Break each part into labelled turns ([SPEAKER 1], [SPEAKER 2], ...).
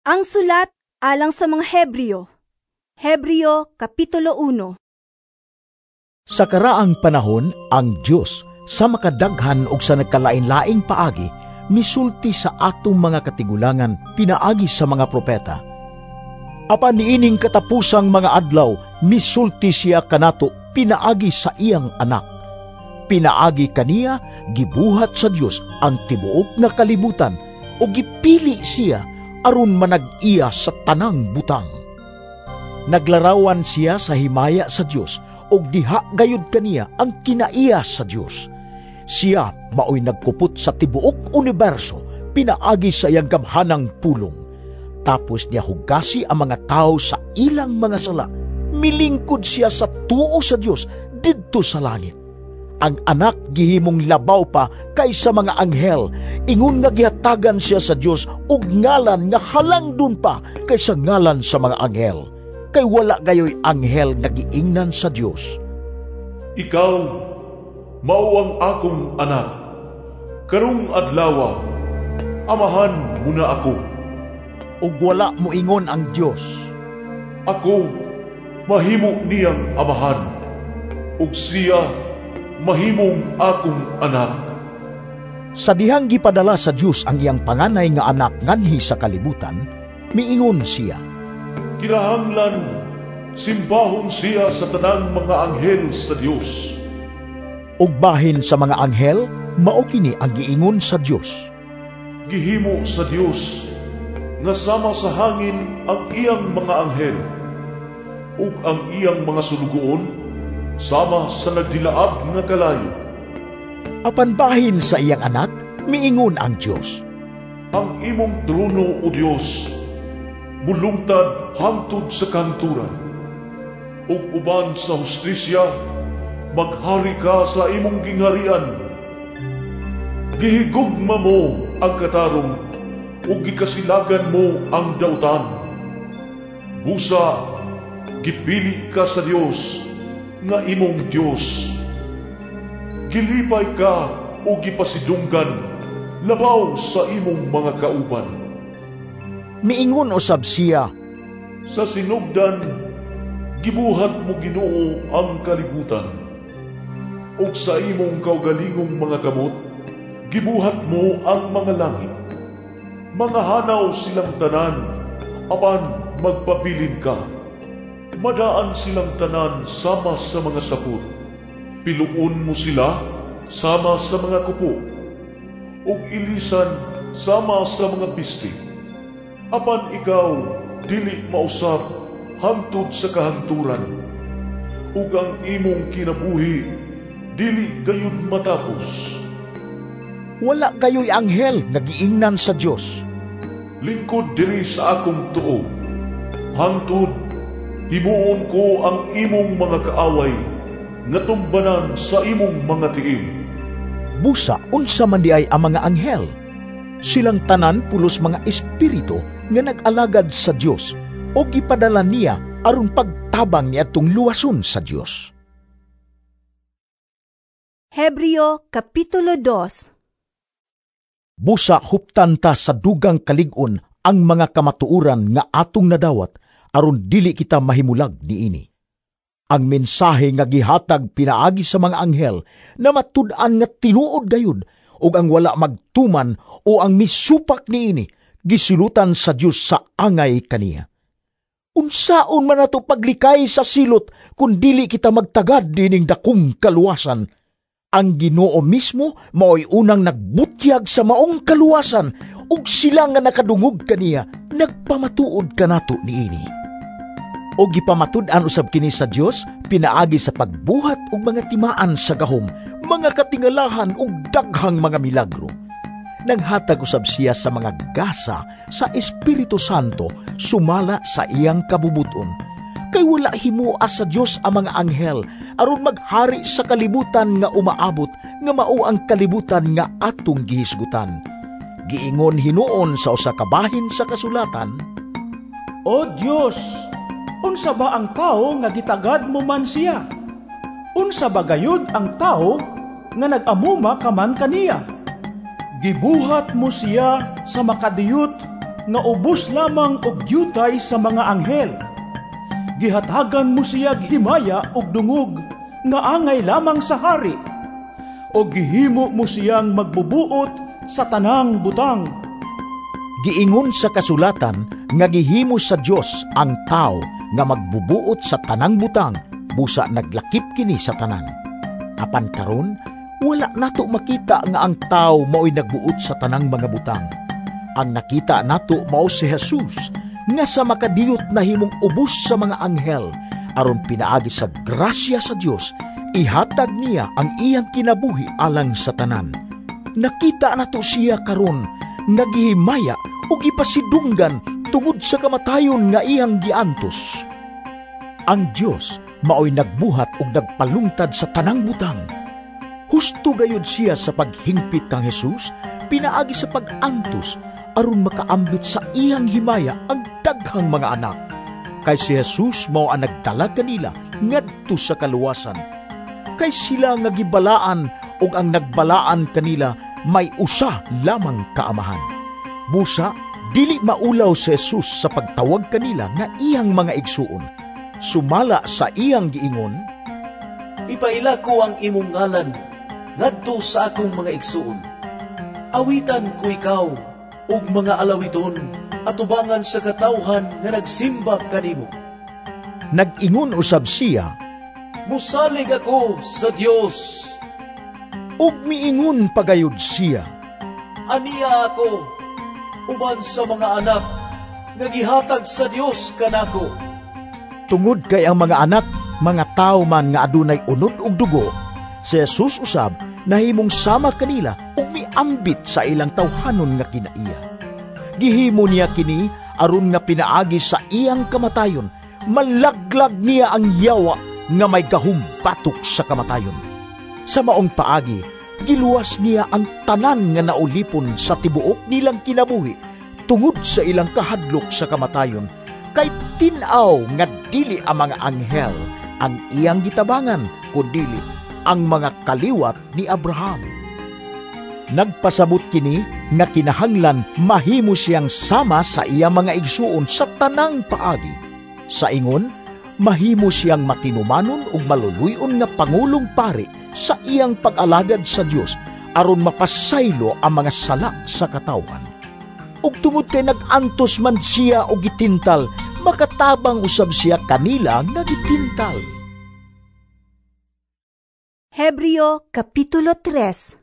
[SPEAKER 1] Ang sulat alang sa mga Hebreo. Hebreo Kapitulo 1.
[SPEAKER 2] Sa karaang panahon, ang Dios sa makadaghan og sa nagkalain-laing paagi misulti sa atong mga katigulangan pinaagi sa mga propeta. Apan niining katapusang mga adlaw, misulti siya kanato pinaagi sa iyang Anak. Pinaagi kaniya gibuhat sa Dios ang tibuok nga kalibutan ug gipili siya aron manag-iya sa tanang butang. Naglarawan siya sa himaya sa Dios ug diha gayud kaniya ang kinaiya sa Dios. Siya maoy nagkupot sa tibuok uniberso pinaagi sa iyang gamhanang pulong. Tapos niya hugasi ang mga tao sa ilang mga sala. Milingkod siya sa tuo sa Dios didto sa langit. Ang Anak gihimong labaw pa kaysa mga anghel, ingon nga gihatagan siya sa Dios og ngalan nga halangdon pa kaysa ngalan sa mga anghel. Kay wala gayoy anghel nga giingnan sa Dios,
[SPEAKER 3] "Ikaw mao ang akong anak. Karong adlawa, amahan mo na ako."
[SPEAKER 2] Ug wala moingon ang Dios,
[SPEAKER 3] "Ako mahimo niyang amahan, ug siya mahimong akong anak."
[SPEAKER 2] Sa dihang gipadala sa Dios ang iyang panganay nga anak nganhi sa kalibutan, miingon siya,
[SPEAKER 3] "Kinahanglan simbahon siya sa tanang mga anghel sa Dios."
[SPEAKER 2] Ug bahin sa mga anghel, mao kini ang giingon sa Dios,
[SPEAKER 3] "Gihimo sa Dios nga sama sa hangin ang iyang mga anghel, ug ang iyang mga sulugoon sama sa nagdilaab nga kalayo."
[SPEAKER 2] Apan bahin sa iyang Anak, miingon ang Dios,
[SPEAKER 3] "Ang imong trono, O Dios, mulungtad hangtod sa kahangturan, ug uban sa hustisya maghari ka sa imong gingharian. Gihigugma mo ang katarong ug gikasilagan mo ang dautan. Busa gipili ka sa Dios nga imong Dios. Gilipay ka o gipasidunggan labaw sa imong mga kauban."
[SPEAKER 2] Miingon usab siya,
[SPEAKER 3] "Sa sinugdan gibuhat mo, Ginoo, ang kalibutan, ug sa imong kaugalingong mga kamot gibuhat mo ang mga langit. Mga hanaw silang tanan, apan magpabilin ka. Madaan silang tanan sama sa mga sapot. Piluon mo sila sama sa mga kupo, ug ilisan sama sa mga bisti. Apan ikaw dili mausab hangtod sa kahangturan, ug ang imong kinabuhi dili gayud matapos."
[SPEAKER 2] Wala gayoy anghel nga giingnan sa Dios,
[SPEAKER 3] "Lingkod diri sa akong tuo, hangtod himuon ko ang imong mga kaaway nga tumbanan sa imong mga tiil."
[SPEAKER 2] Busa unsa man diay ang mga anghel? Silang tanan pulos mga espiritu nga nag-alagad sa Dios o gipadala niya aron pagtabang niadtong luwason sa Dios.
[SPEAKER 1] Hebreo Kapitulo 2.
[SPEAKER 2] Busa huptan ta sa dugang kalig-on ang mga kamatuoran nga atong nadawat aron dili kita mahimulag niini. Ang mensahe nga gihatag pinaagi sa mga anghel na matud-an nga tinuod gayud, ug ang wala magtuman o ang misupak niini gisilutan sa Dios sa angay kaniya. Unsaon man nato paglikay sa silot kun dili kita magtagad niining dakong kaluwasan? Ang Ginoo mismo maoy unang nagbutyag sa maong kaluwasan, ug sila nga nakadungog kaniya nagpamatuod kanato niini. O gipamatud-an usab kini sa Dios pinaagi sa pagbuhat og mga timaan sa gahom, mga katingalahan ug daghang mga milagro. Naghatag usab siya sa mga gasa sa Espiritu Santo sumala sa iyang kabubuton. Kay wala himua sa Dios ang mga anghel aron maghari sa kalibutan nga umaabot, nga mao ang kalibutan nga atong gihisgutan. Giingon hinuon sa usa ka bahin sa kasulatan,
[SPEAKER 4] "O Dios, unsa ba ang tao nga gitagad mo man siya? Unsa ba gayud ang tao nga nag-amuma ka man kaniya? Gibuhat mo siya sa makadiyot nga ubos lamang og dyutay sa mga anghel. Gihatagan mo siyag himaya ug dungog nga angay lamang sa hari. O gihimo mo siyang magbubuot sa tanang butang.
[SPEAKER 2] Giingon sa kasulatan nga gihimo sa Dios ang tao nga magbubuot sa tanang butang, busa naglakip kini sa tanan. Apan karon, wala nato makita nga ang tao mao'y nagbuot sa tanang mga butang. Ang nakita nato mao si Jesus, nga sa makadiyot nahimong ubos sa mga anghel, aron pinaagi sa grasya sa Dios, ihatag niya ang iyang kinabuhi alang sa tanan. Nakita nato siya karon nga gihimaya ug gipasidunggan tungod sa kamatayon nga iyang giantos. Ang Dios maoy nagbuhat ug nagpalungtad sa tanang butang. Husto gayud siya sa paghingpit kang Jesus pinaagi sa pag-antos aron makaambit sa iyang himaya ang daghang mga anak. Kay si Jesus mao ang nagdala kanila ngadto sa kaluwasan. Kay sila nga gibalaan ug ang nagbalaan kanila may usa lamang kaamahan. Busa dili maulaw si Jesus sa pagtawag kanila nga iyang mga igsuon. Sumala sa iyang giingon,
[SPEAKER 5] "Ipaila ko ang imong ngalan ngadto sa akong mga igsuon. Awitan ko ikaw ug mga alawiton atubangan sa katawhan nga nagsimba kanimo."
[SPEAKER 2] Nag-ingon usab siya,
[SPEAKER 5] "Musalig ako sa Dios."
[SPEAKER 2] Ug miingon pagayod siya,
[SPEAKER 5] "Aniya ako uban sa mga anak nga gihatag sa Dios kanako."
[SPEAKER 2] Tungod kay ang mga anak mga tawo man nga adunay unod ug dugo, si Jesus usab nahimong sama kanila ug miambit sa ilang tawhanon nga kinaiya. Gihimo niya kini aron nga pinaagi sa iyang kamatayon, malaglag niya ang yawa nga may gahum batok sa kamatayon. Sa maong paagi, giluwas niya ang tanan nga naulipon sa tibuok nilang kinabuhi tungod sa ilang kahadlok sa kamatayon, kay tin-aw nga dili ang mga anghel ang iyang gitabangan, kundili ang mga kaliwat ni Abraham. Nagpasabot kini nga kinahanglan mahimo siyang sama sa iyang mga igsuon sa tanang paagi. Sa ingon, mahimo siyang matinumanon ug maluluy-on nga pangulong pari sa iyang pag-alagad sa Dios aron mapasaylo ang mga sala sa katawhan. Ug tungod kay nag-antos man siya og gitintal, makatabang usab siya kanila nga gitintal.
[SPEAKER 1] Hebreo Kapitulo 3.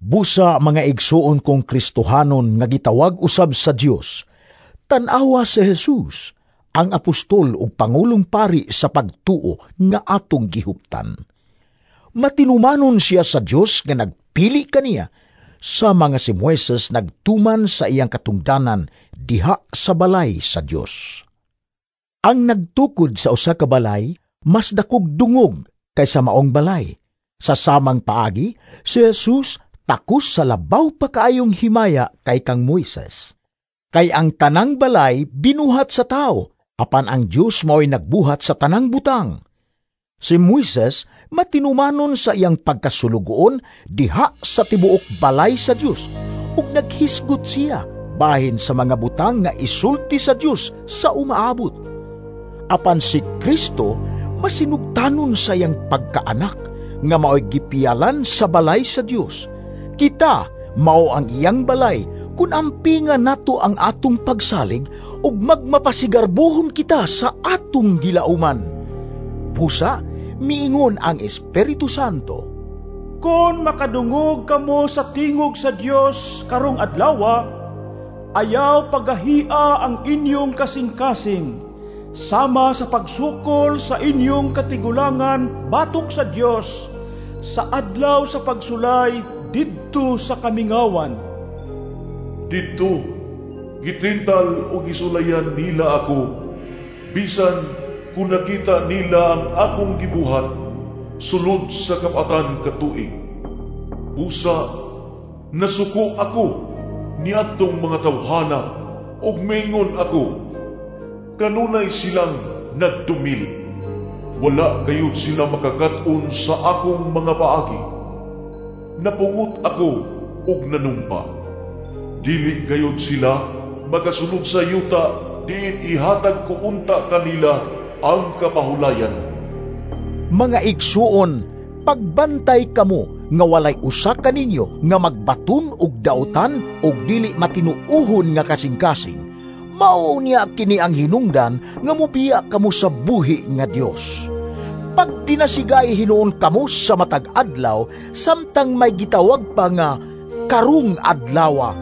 [SPEAKER 2] Busa mga igsuon kong Kristohanon nga gitawag usab sa Dios, tan-awa si Jesus, ang apostol ug pangulong pari sa pagtuo nga atong gihuptan. Matinumanon siya sa Dios nga nagpili kaniya, sa mga si Moises nagtuman sa iyang katungdanan diha sa balay sa Dios. Ang nagtukod sa usa ka balay mas dakog dungog kaysa maong balay. Sa samang paagi, si Jesus takos sa labaw pa kaayong himaya kay kang Moises. Kay ang tanang balay binuhat sa tao, apan ang Dios mao'y nagbuhat sa tanang butang. Si Moises matinumanon sa iyang pagkasulugoon diha sa tibuok balay sa Dios, ug naghisgot siya bahin sa mga butang nga isulti sa Dios sa umaabot. Apan si Kristo masinugtanon sa iyang pagkaanak nga mao'y gipiyalan sa balay sa Dios. Kita mao ang iyang balay kun ampinga nato ang atong pagsalig ug magmapasigarbuhon kita sa atong gilauman. Busa, miingon ang Espiritu Santo,
[SPEAKER 4] "Kon makadungog kamo sa tingog sa Dios karong adlawa, ayaw pagahia ang inyong kasing-kasing, sama sa pagsukol sa inyong katigulangan batok sa Dios, sa adlaw sa pagsulay didto sa kamingawan."
[SPEAKER 3] "Didto, gitintal o gisulayan nila ako, bisan kung nakita nila ang akong gibuhat sulod sa kapatan katuig. Busa, nasuko ako niadtong mga tawhana ug mingon ako, kanunay silang nagdumili. Wala gayud sila makakat-on sa akong mga paagi. Napungot ako ug nanumpa. Dili gayud sila makasulod sa yuta diin ihatag ko unta kanila ang kapahulayan.
[SPEAKER 2] Mga igsuon, pagbantay kamo nga walay usa kaninyo nga magbaton og dautan og dili matinuohon nga kasing-kasing. Mao niya kini ang hinungdan nga mobiya kamo sa buhi nga Dios. Pagdinasigay hinuon kamo sa matag adlaw samtang may gitawag pa nga karong adlawa,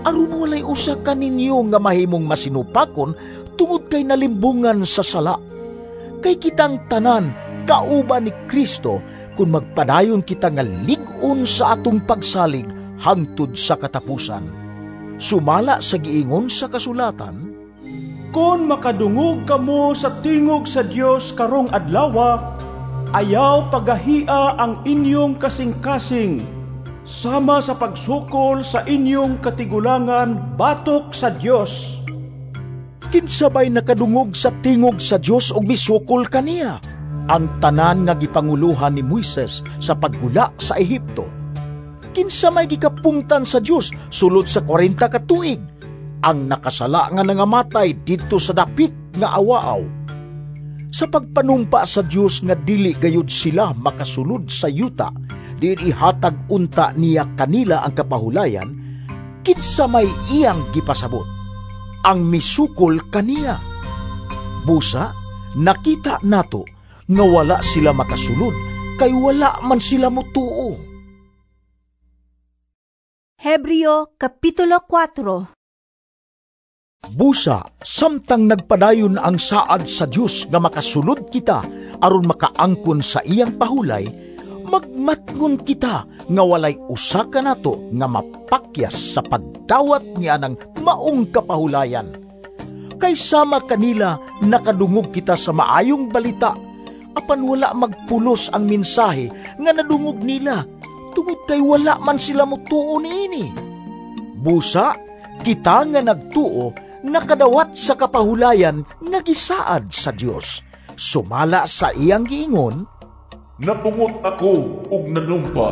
[SPEAKER 2] aron walay usa kaninyo nga mahimong masinupakon tungod kay nalimbungan sa sala. Kay kitang tanan kauban ni Kristo kung magpadayon kita nga lig-on sa atong pagsalig hangtod sa katapusan. Sumala sa giingon sa kasulatan,
[SPEAKER 4] Kon makadungog kamo sa tingog sa Dios karong adlawa, ayaw pagahia ang inyong kasing-kasing, sama sa pagsukol sa inyong katigulangan batok sa Dios.
[SPEAKER 2] Kinsabay nakadungog sa tingog sa Dios og misukol kaniya ang tanan nga gipanguluhan ni Moises sa paggula sa Ehipto. Kinsa may gikapungtan sa Dios sulod sa 40 ka tuig, ang nakasala nga nangamatay didto sa dapit nga awaaw. Sa pagpanumpa sa Dios nga dili gayud sila makasulod sa yuta, diin ihatag unta niya kanila ang kapahulayan, kinsa may iyang gipasabot, ang misukol kaniya. Busa, nakita nato nga wala sila makasulod, kay wala man sila mutuo.
[SPEAKER 1] Hebreo Kapitulo 4.
[SPEAKER 2] Busa, samtang nagpadayon ang saad sa Dios nga makasulod kita aron makaangkon sa iyang pahulay, magmatngon kita nga walay usa kanato nga mapakyas sa pagdawat niya ng maong kapahulayan. Kay sama kanila nakadungog kita sa maayong balita, apan wala magpulos ang mensahe nga nadungog nila, tungod kay wala man sila mutuo niini. Busa, kita nga nagtuo, nakadawat sa kapahulayan nga gisaad sa Dios. Sumala sa iyang giingon,
[SPEAKER 3] Napungot ako og nanumpa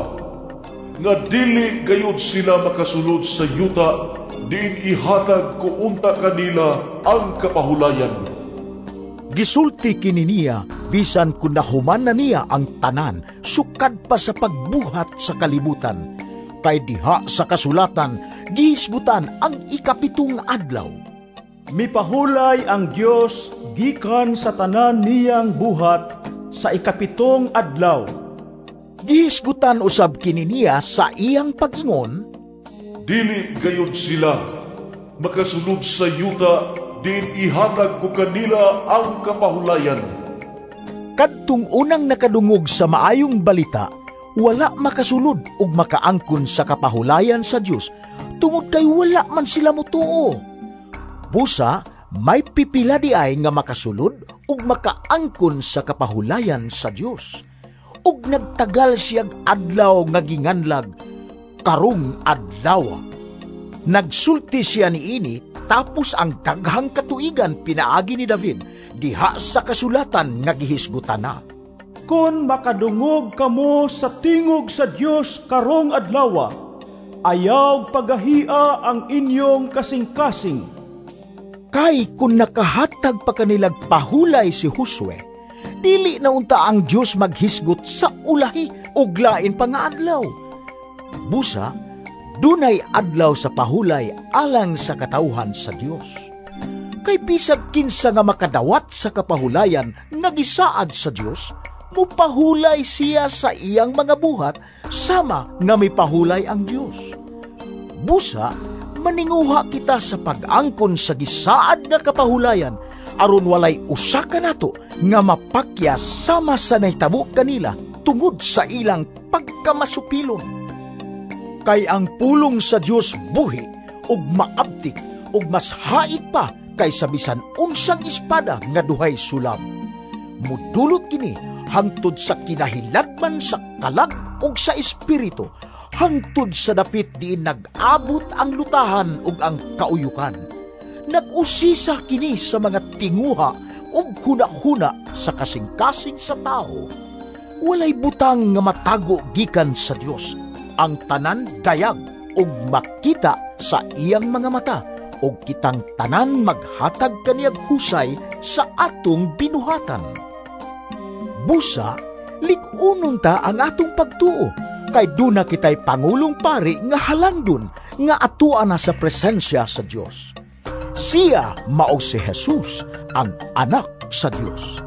[SPEAKER 3] nga dili gayud sila makasulod sa yuta diin ihatag ko unta kanila ang kapahulayan.
[SPEAKER 2] Gisulti kini niya bisan kun nahuman na niya ang tanan sukad pa sa pagbuhat sa kalibutan. Kay diha sa kasulatan gihisgutan ang 7 adlaw.
[SPEAKER 4] Mipahulay ang Dios gikan sa tanan niyang buhat sa 7 adlaw.
[SPEAKER 2] Gihisgutan usab kini niya sa iyang pag-ingon,
[SPEAKER 3] Dili gayud sila makasulod sa yuta diin ihatag ko kanila ang kapahulayan.
[SPEAKER 2] Kadtong unang nakadungog sa maayong balita, wala makasulod ug makaangkon sa kapahulayan sa Dios tungod kay wala man sila mutuo. Busa, may pipila di ay nga makasulod ug makaangkon sa kapahulayan sa Dios. Ug nagtagal siyag adlaw nga ginganlag, karong adlawa. Nagsulti siya niini tapos ang daghang katuigan pinaagi ni David diha sa kasulatan nga gihisgutan na.
[SPEAKER 4] Kon makadungog kamo sa tingog sa Dios karong adlawa, ayaw pagahia ang inyong kasing-kasing.
[SPEAKER 2] Kay kung nakahatag pa kanilag pahulay si Josue, dili na unta ang Dios maghisgot sa ulahi ug lain pa nga adlaw. Busa, dunay adlaw sa pahulay alang sa katawhan sa Dios. Kay bisag kinsa nga makadawat sa kapahulayan nga gisaad sa Dios, mupahulay siya sa iyang mga buhat sama nga mipahulay ang Dios. Busa, maninguha kita sa pag-angkon sa gisaad nga kapahulayan aron walay usa kanato nga mapakya sama sa nahitabo kanila tungod sa ilang pagkamasupilon. Kay ang pulong sa Dios buhi ug maabtik ug mas hait pa kaysa bisan unsang espada nga duhay sulab. Mudulot kini hangtod sa kinahiladman sa kalag ug sa espiritu, hangtod sa dapit diin nag-abot ang lutahan ug ang kauyukan. Nag-usisa kini sa mga tinguha ug hunahuna sa kasing-kasing sa tao. Walay butang nga matago gikan sa Dios. Ang tanan dayag ug makita sa iyang mga mata ug kitang tanan maghatag kaniyag husay sa atong binuhatan. Busa, lig-unon ta ang atong pagtuo, kay duna kitay pangulong pari nga halangdon nga atua na sa presensya sa Dios. Siya mao si Jesus, ang anak sa Dios.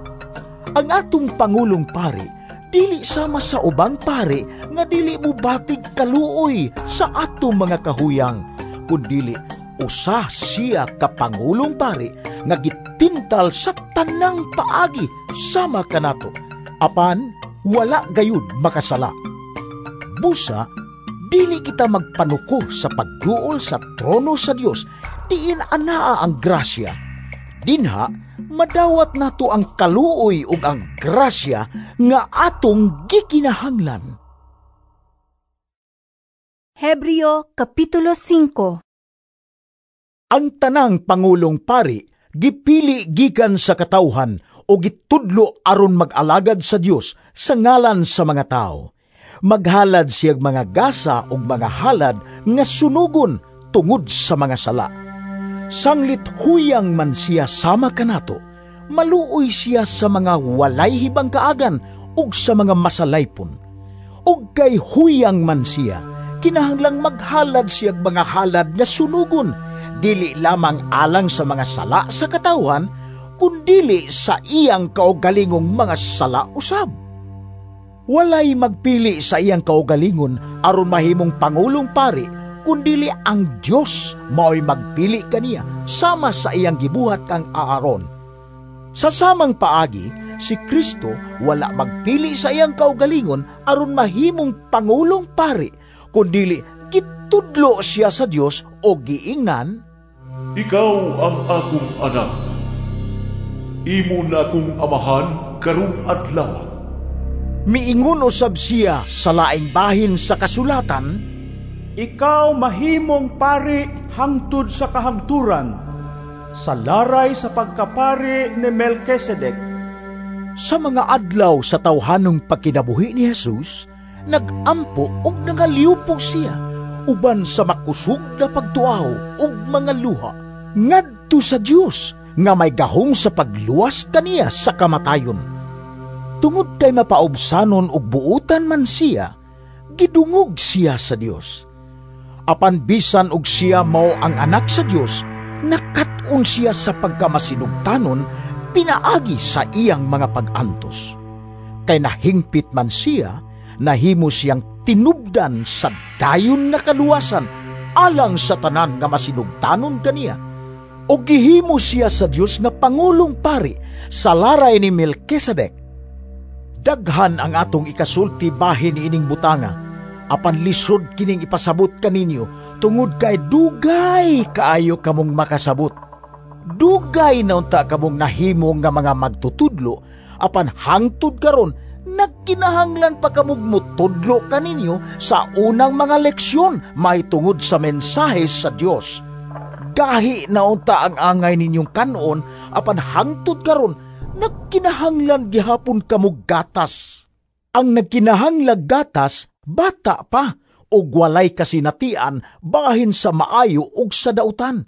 [SPEAKER 2] Ang atong pangulong pari dili sama sa ubang pari nga dili mubatig kaluoy sa atong mga kahuyang, kundili usa siya ka pangulong pari nga gitintal sa tanang paagi sama kanato, apan wala gayud makasala. Busa, dili kita magpanuko sa pagduol sa trono sa Dios, diin anaa ang grasya. Dinha, madawat nato ang kaluoy ug ang grasya nga atong gikinahanglan.
[SPEAKER 1] Hebreo Kapitulo 5.
[SPEAKER 2] Ang tanang pangulong pari gipili gikan sa katawhan o gitudlo aron mag-alagad sa Dios sa ngalan sa mga tao. Maghalad siyag mga gasa ug mga halad nga sunugon tungod sa mga sala. Sanglit huyang man siya sama kanato, maluoy siya sa mga walay hibang kaagan ug sa mga masalaypon. Ug kay huyang man siya, kinahanglang maghalad siyag mga halad nga sunugon, dili lamang alang sa mga sala sa katawhan, kundili sa iyang kaugalingong mga sala usab. Walay magpili sa iyang kaugalingon aron mahimong pangulong pari, kundili ang Dios mao'y magpili kaniya sama sa iyang gibuhat kang Aaron. Sa samang paagi, si Kristo wala magpili sa iyang kaugalingon aron mahimong pangulong pari, kundili gitudlo siya sa Dios o giingnan,
[SPEAKER 3] "Ikaw ang akong anak, imo na akong amahan karong adlaw."
[SPEAKER 2] Miingon usab siya sa laing bahin sa kasulatan,
[SPEAKER 4] "Ikaw mahimong pari hangtod sa kahangturan, sa laray sa pagkapari ni Melkisedek."
[SPEAKER 2] Sa mga adlaw sa tawhanong pagkinabuhi ni Jesus, nagampo ug nangaliupo siya uban sa makusog na pagtuaw ug mga luha ngadto sa Dios nga may gahom sa pagluwas kaniya sa kamatayon. Tungod kay mapaubsanon ug buutan man siya, gidungog siya sa Dios. Apan bisan og siya mao ang anak sa Dios, nakat-on siya sa pagkamasinugtanon pinaagi sa iyang mga pag-antos. Kay nahingpit man siya, nahimo siyang tinubdan sa dayon nga kaluwasan alang sa tanan nga masinugtanon kaniya. O gihimo siya sa Dios nga pangulong pari sa laray ni Melkisedek. Daghan ang atong ikasulti bahin ining butanga, apan lisod kining ipasabot kaninyo tungod kay dugay kaayo kamong makasabot. Dugay na unta kamong nahimo nga mga magtutudlo, apan hangtod karon nagkinahanglan pa kamog mutudlo kaninyo sa unang mga leksyon mahitungod sa mensahe sa Dios. Gahi na unta ang angay ninyong kanon, apan hangtod karon nagkinahanglan gihapon kamog gatas. Ang nagkinahanglag gatas, bata pa, ug walay kasinatian bahin sa maayo ug sa dautan.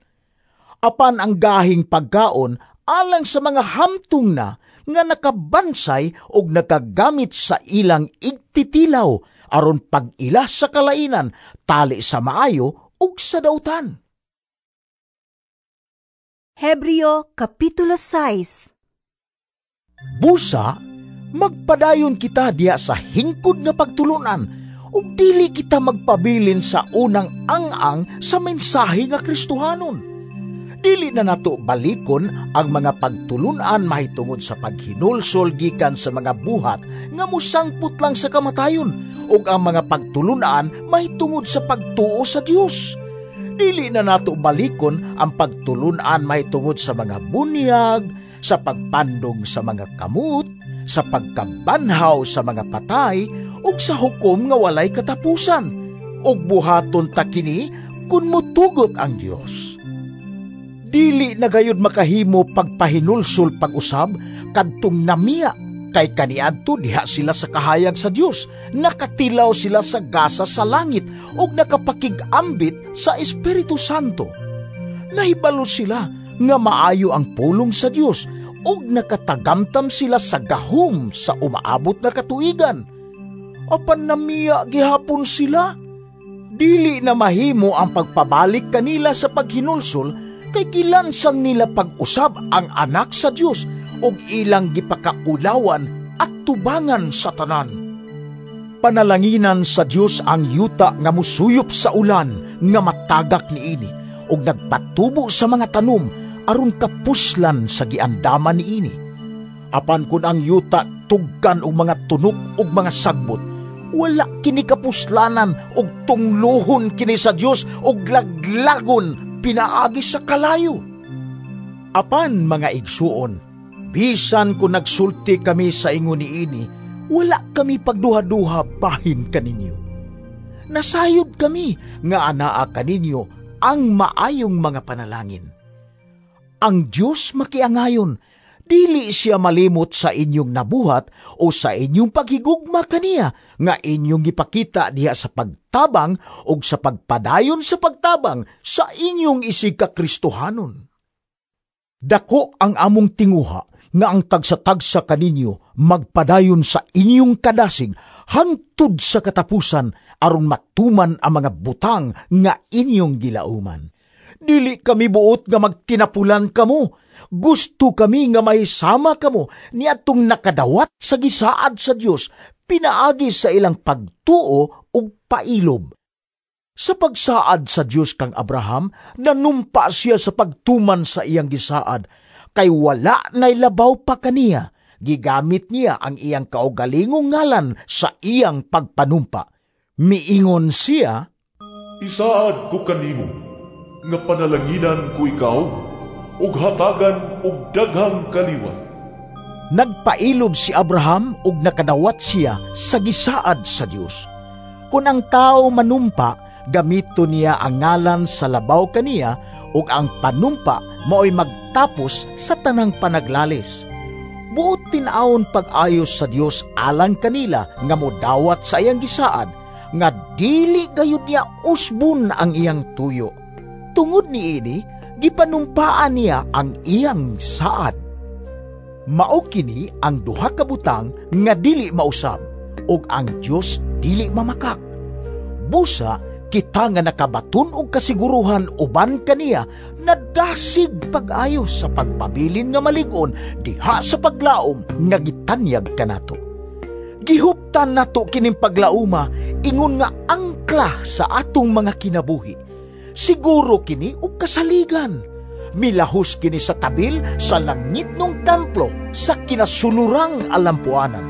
[SPEAKER 2] Apan ang gahing pagkaon alang sa mga hamtong na nga nakabansay ug nakagamit sa ilang igtitilaw aron pag-ila sa kalainan tali sa maayo ug sa dautan.
[SPEAKER 1] Hebreo Kapitulo 6.
[SPEAKER 2] Busa, magpadayon kita diha sa hingkod nga pagtulunan ug dili kita magpabilin sa unang ang-ang sa mensahe nga Kristohanon. Dili na nato balikon ang mga pagtulunan mahitungod sa paghinulsol gikan sa mga buhat nga mosangpot lang sa kamatayon ug ang mga pagtulunan mahitungod sa pagtuo sa Dios. Dili na nato balikon ang pagtulunan mahitungod sa mga bunyag, sa pagpandong sa mga kamot, sa pagkabanhaw sa mga patay, ug sa hukom nga walay katapusan. Ug buhaton ta kini kun motugot ang Dios. Dili na gayud makahimo pagpahinulsol pag-usab kadtong namiya, kay kaniadto diha sila sa kahayag sa Dios, nakatilaw sila sa gasa sa langit ug nakapakig-ambit sa Espiritu Santo. Nahibalo sila nga maayo ang pulong sa Dios ug nakatagamtam sila sa gahom sa umaabot na katuigan. Apan namiya gihapon sila. Dili na mahimo ang pagpabalik kanila sa paghinulsol kay gilansang nila pag-usab ang anak sa Dios ug ilang gipakaulawan at tubangan sa tanan. Panalanginan sa Dios ang yuta nga musuyop sa ulan nga matagak niini ug nagpatubo sa mga tanom aron kapuslan sa giandaman niini. Apan kun ang yuta tugkan og mga tunok ug mga sagbot, wala kini kapuslanan ug tungluhon kini sa Dios ug laglagon pinaagi sa kalayo. Apan mga igsuon, bisan kung nagsulti kami sa ingon niini, wala kami pagduha-duha bahin kaninyo. Nasayod kami nga anaa kaninyo ang maayong mga panalangin. Ang Dios makiangayon, dili siya malimot sa inyong nabuhat o sa inyong paghigugma kaniya nga inyong gipakita diha sa pagtabang o sa pagpadayon sa pagtabang sa inyong isig ka Kristohanon. Dako ang among tinguha nga ang tagsa-tagsa kaninyo magpadayon sa inyong kadasig hangtod sa katapusan aron matuman ang mga butang nga inyong gilauman. Dili kami buot nga magtinapulan kamo. Gusto kami nga mahisama kamo niadtong nakadawat sa gisaad sa Dios pinaagi sa ilang pagtuo ug pailob. Sa pagsaad sa Dios kang Abraham, nanumpa siya sa pagtuman sa iyang gisaad, kay wala nay labaw pa kaniya. Gigamit niya ang iyang kaugalingong ngalan sa iyang pagpanumpa. Miingon siya,
[SPEAKER 3] "Isaad ko kanimo nga panalanginan ko ikaw ug hatagan og daghang kaliwat."
[SPEAKER 2] Nagpailob si Abraham ug nakadawat siya sa gisaad sa Dios. Kun ang tao manumpa, gamito niya ang ngalan sa labaw kaniya ug ang panumpa maoy magtapos sa tanang panaglalis. Buot tin-awon pag-ayos sa Dios alang kanila nga modawat sa iyang gisaad, nga dili gayud niya usbon ang iyang tuyo. Tungod niini, gipanumpaan niya ang iyang saad. Mao kini ang duha ka butang nga dili mausab ug ang Dios dili mamakak. Busa kita nga nakabaton og kasiguruhan uban kaniya nadasig pag-ayos sa pagpabilin nga malig-on diha sa paglaom nga gitanyag kanato. Gihuptan nato kining paglauma ingon nga angkla sa atong mga kinabuhi. Siguro kini og kasaligan. Milahos kini sa tabil sa langitnong templo sa kinasulurang alampuanan.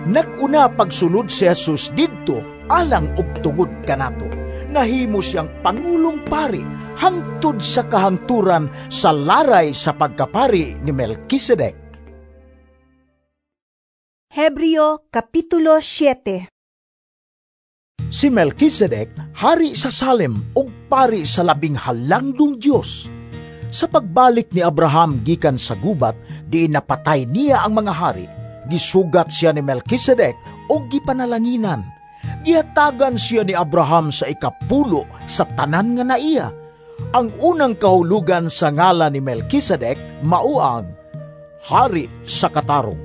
[SPEAKER 2] Nag-una pagsulod si Jesus didto alang og tungod kanato. Nahimo siyang pangulong pari hangtod sa kahangturan sa laray sa pagkapari ni Melkisedek.
[SPEAKER 1] Hebreo Kapitulo 7.
[SPEAKER 2] Si Melkisedek, hari sa Salem ug pari sa labing halangdong Dios. Sa pagbalik ni Abraham gikan sa gubat, diin napatay niya ang mga hari. Gisugat siya ni Melkisedek ug gipanalanginan. Gihatagan siya ni Abraham sa ikapulo sa tanan nga naiya. Ang unang kahulugan sa ngalan ni Melkisedek mao ang hari sa katarong.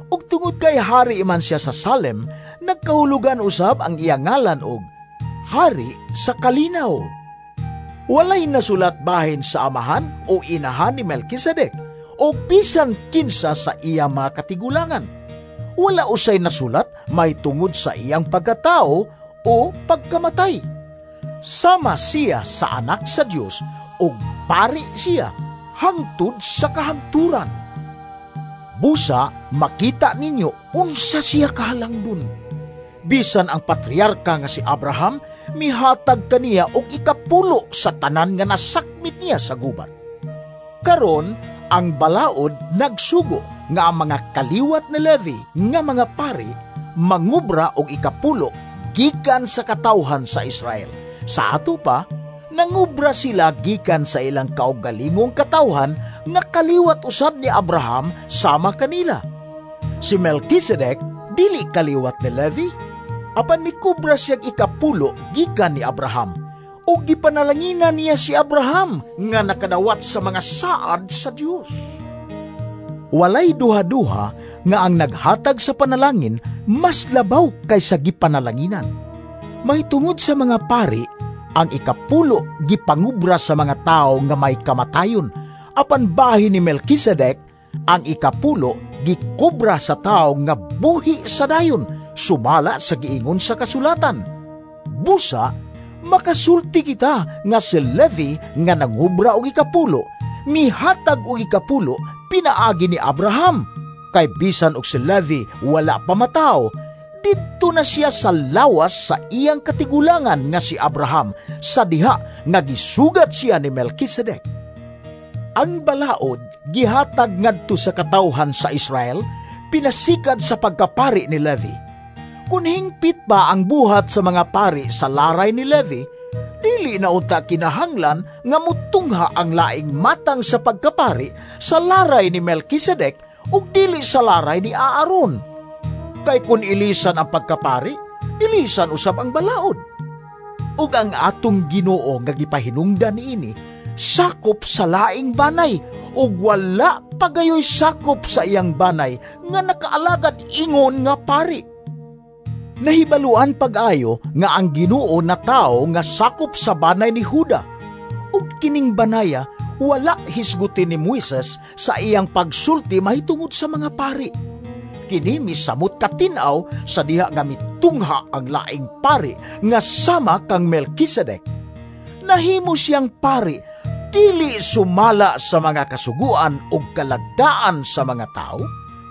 [SPEAKER 2] Ug tungod kay hari man siya sa Salem, nagkahulugan usab ang iyang ngalan og hari sa kalinaw. Walay nasulat bahin sa amahan o inahan ni Melkisedek o bisan kinsa sa iya mga katigulangan. Wala usay nasulat may tungod sa iyang pagkatao o pagkamatay. Sama siya sa anak sa Dios ug pari siya hangtod sa kahangturan. Busa makita ninyo unsa siya kahalangdon. Bisan ang patriarka nga si Abraham mihatag kaniya og ikapulo sa tanan nga nasakmit niya sa gubat. Karon ang balaod nagsugo nga ang mga kaliwat ni Levi nga mga pari mangubra og ikapulo gikan sa katawhan sa Israel. Sa ato pa, nangubra sila gikan sa ilang kaugalingong katawhan nga kaliwat usab ni Abraham sama kanila. Si Melkisedek dili kaliwat ni Levi, Apan mikubra siyang ikapulo gikan ni Abraham, ug gipanalanginan niya si Abraham nga nakadawat sa mga saad sa Dios. Walay duha-duha nga ang naghatag sa panalangin mas labaw kaysa gipanalanginan. Mahitungod sa mga pari, ang ikapulo gipangubra sa mga tawo nga may kamatayon, apan bahin ni Melkisedek, ang ikapulo gikobra sa tawo nga buhi sa dayon, sumala sa giingon sa kasulatan. Busa, makasulti kita nga si Levi nga nangubra og ikapulo, mihatag og ikapulo pinaagi ni Abraham. Kay bisan og si Levi wala pa mataw, didto na siya sa lawas sa iyang katigulangan nga si Abraham, sa diha nga gisugat siya ni Melkisedek. Ang balaod gihatag ngadto sa katawhan sa Israel, pinasikad sa pagkapari ni Levi. Kun hingpit pa ang buhat sa mga pari sa laray ni Levi, dili na unta kinahanglan nga mutungha ang laing matang sa pagkapari sa laray ni Melkisedek ug dili sa laray ni Aaron. Kay kun ilisan ang pagkapari, ilisan usab ang balaod. Ug ang atong Ginoo nga gipahinungdan niini, sakop sa laing banay, ug wala pagayoy sakop sa iyang banay nga nakaalagad ingon nga pari. Nahibaluan pag-ayo nga ang Ginoo na tawo nga sakop sa banay ni Huda. Ug kining banaya wala hisgutin ni Moises sa iyang pagsulti mahitungod sa mga pari. Kini misamot katin-aw sa diha nga mitungha ang laing pari nga sama kang Melkisedek. Nahimo siyang pari dili sumala sa mga kasuguan ug kalagdaan sa mga tawo,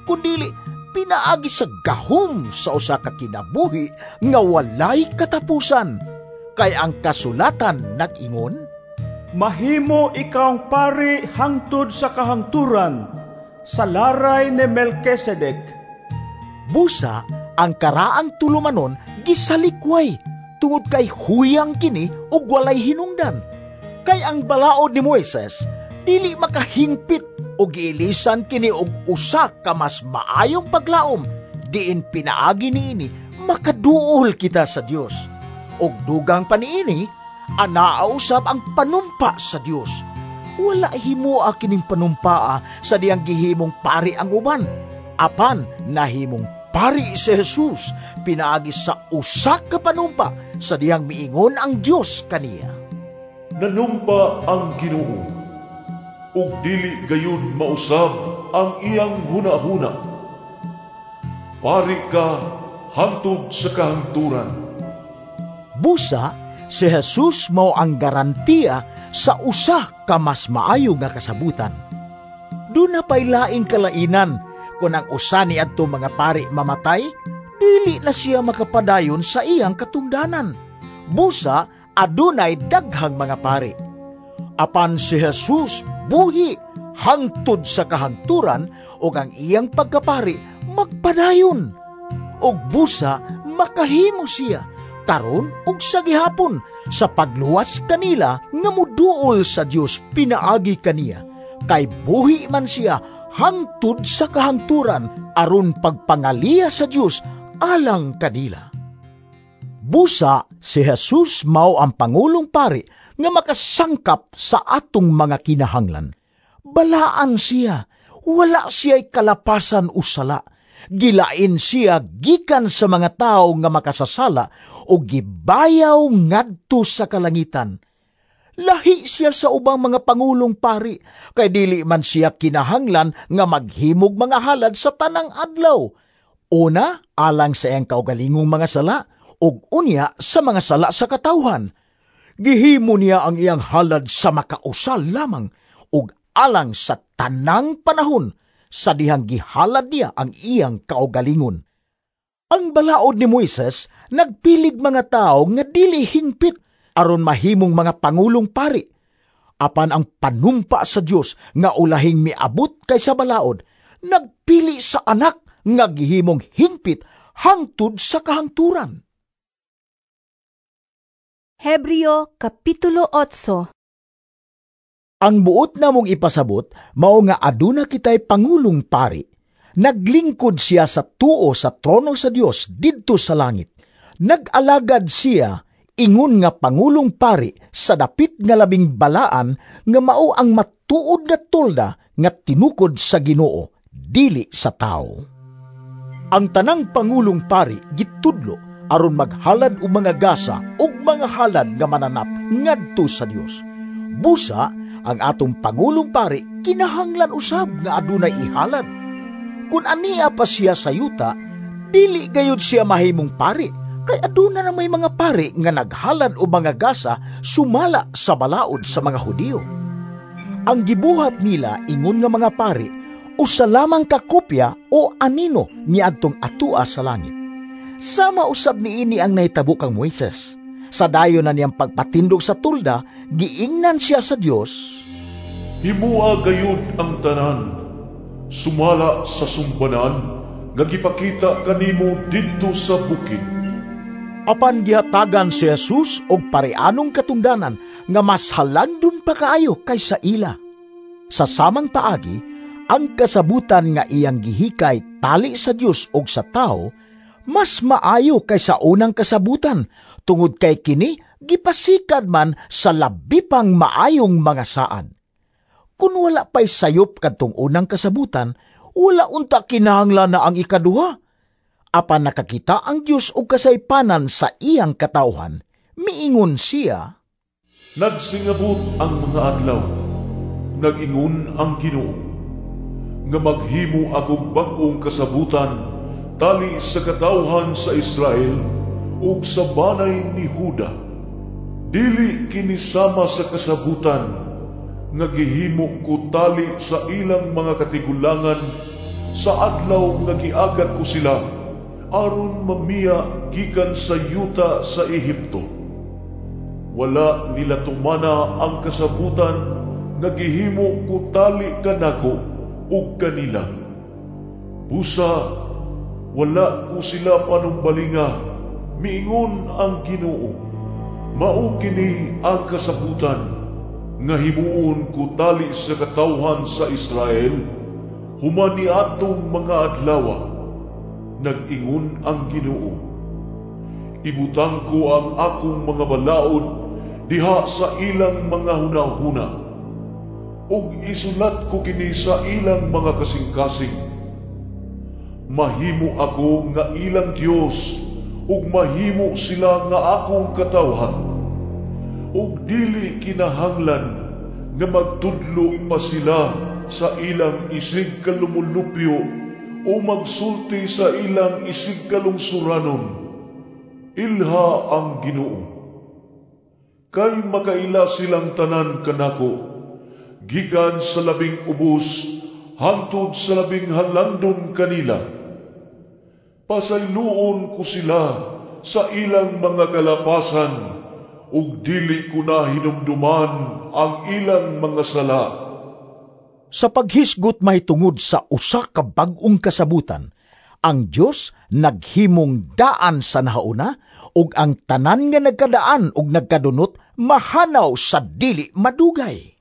[SPEAKER 2] kundili pinaagi sa gahom sa usa ka kinabuhi nga walay katapusan. Kay ang kasulatan nag-ingon,
[SPEAKER 4] mahimo ikaw ang pari hangtod sa kahangturan sa laray ni Melkisedek.
[SPEAKER 2] Busa, ang karaang tulumanon gisalikway tungod kay huyang kini ug walay hinungdan. Kay ang balaod ni Moises dili makahingpit ug giilisan kini og usa ka mas maayong paglaom, diin pinaagi niini makaduol kita sa Dios. Ug dugang pa niini, anaa usab ang panumpa sa Dios. Wala himoa kining panumpaa sa diyang gihimong pari ang uban, apan nahimong pari si Jesus pinaagi sa usa ka panumpa sa diyang miingon ang Dios kaniya.
[SPEAKER 3] Nanumpa ang Ginoo, ug dili gayud mausab ang iyang hunahuna. Pari ka hangtod sa kahangturan.
[SPEAKER 2] Busa, si Jesus mao ang garantiya sa usa ka mas maayo nga kasabutan. Duna pa'y laing kalainan kung ang usa ni adto mga pari mamatay, dili na siya makapadayon sa iyang katungdanan. Busa, adunay daghang mga pari. Apan si Jesus buhi hangtod sa kahangturan ug ang iyang pagkapari magpadayon. Ug busa makahimo siya karon ug sa gihapon sa pagluwas kanila nga muduol sa Dios pinaagi kaniya. Kay buhi man siya hangtod sa kahangturan aron pagpangaliya sa Dios alang kanila. Busa si Jesus mao ang pangulong pari nga makasangkap sa atong mga kinahanglan. Balaan siya, wala siya'y kalapasan o sala. Gilain siya gikan sa mga tawo nga makasasala o gibayaw ngadto sa kalangitan. Lahi siya sa ubang mga pangulong pari, kay dili man siya kinahanglan nga maghimog mga halad sa tanang adlaw. Una, alang sa iyang kaugalingong mga sala, ug unya sa mga sala sa katawhan. Gihimo niya ang iyang halad sa makausa lamang, ug alang sa tanang panahon, sa dihang gihalad niya ang iyang kaugalingon. Ang balaod ni Moises nagpilig mga tao nga dili hingpit aron mahimong mga pangulong pari. Apan ang panumpa sa Dios nga ulahing miabot kaysa balaod, nagpili sa anak nga gihimong hingpit hangtod sa kahangturan.
[SPEAKER 1] Hebreo Kapitulo 8.
[SPEAKER 2] Ang buot namong ipasabot, mao nga aduna kitay pangulong pari. Naglingkod siya sa tuo sa trono sa Dios didto sa langit. Nag-alagad siya ingon nga pangulong pari sa dapit nga labing balaan nga mao ang matuod nga tolda nga tinukod sa Ginoo, dili sa tawo. Ang tanang pangulong pari gitudlo aron maghalad og mga gasa ug mga halad nga mananap ngadto sa Dios. Busa ang atong pangulong pari kinahanglan usab nga adunay ihalad. Kun ania pa siya sa yuta, dili gayud siya mahimong pari, kay aduna na may mga pari nga naghalad og mga gasa sumala sa balaod sa mga Hudiyo. Ang gibuhat nila ingon nga mga pari usa lamang ka kopya o anino niadtong atua sa langit. Sama usab niini ang nahitabo kang Moises. Sa dayon na niyang pagpatindog sa tulda, giingnan siya sa Dios,
[SPEAKER 3] "Himua gayud ang tanan sumala sa sumbanan nga gipakita kanimo didto sa bukid."
[SPEAKER 2] Apan gihatagan si Jesus og pareanong katungdanan nga mas halangdon pa kaayo kaysa ila. Sa samang paagi, ang kasabutan nga iyang gihikay tali sa Dios og sa tawo mas maayo kaysa unang kasabutan, tungod kay kini gipasikad man sa labi pang maayong mga saad. Kun wala pa'y sayop kadtong unang kasabutan, wala unta kinahanglan na ang ikaduha. Apan nakakita ang Dios og kasaypanan sa iyang katawhan, miingon siya,
[SPEAKER 3] "Nagsingabot ang mga adlaw, nag-ingon ang Ginoo, nga maghimo akong bag-ong kasabutan tali sa katawhan sa Israel ug sa banay ni Huda. Dili kini sama sa kasabutan nga gihimo ko tali sa ilang mga katigulangan sa adlaw nga giagat ko sila aron mamiya gikan sa yuta sa Ehipto. Wala nila tumana ang kasabutan nga gihimo ko tali kanako ug kanila. Busa wala ko sila panumbalinga, miingon ang Ginoo. Mao kini ang kasabutan nga himuon ko tali sa katawhan sa Israel human niadtong mga adlawa, nag-ingon ang Ginoo. Ibutang ko ang akong mga balaod diha sa ilang mga hunahuna, ug isulat ko kini sa ilang mga kasing-kasing. Mahimo ako nga ilang Dios, ug mahimo sila nga akong katawhan. Ug dili kinahanglan nga magtudlo pa sila sa ilang isig kalumulupyo o magsulti sa ilang isig kalungsuranon. Ilha ang Ginoo. Kay makaila silang tanan kanako, gikan sa labing ubos hangtod sa labing halandon kanila. Pasayloon ko sila sa ilang mga kalapasan, ug dili ko na hinumduman ang ilang mga sala."
[SPEAKER 2] Sa paghisgot mahitungod sa usa ka bag-ong kasabutan, ang Dios naghimong daan sa nahauna, ug ang tanan nga nagkadaan ug nagkadunot mahanaw sa dili madugay.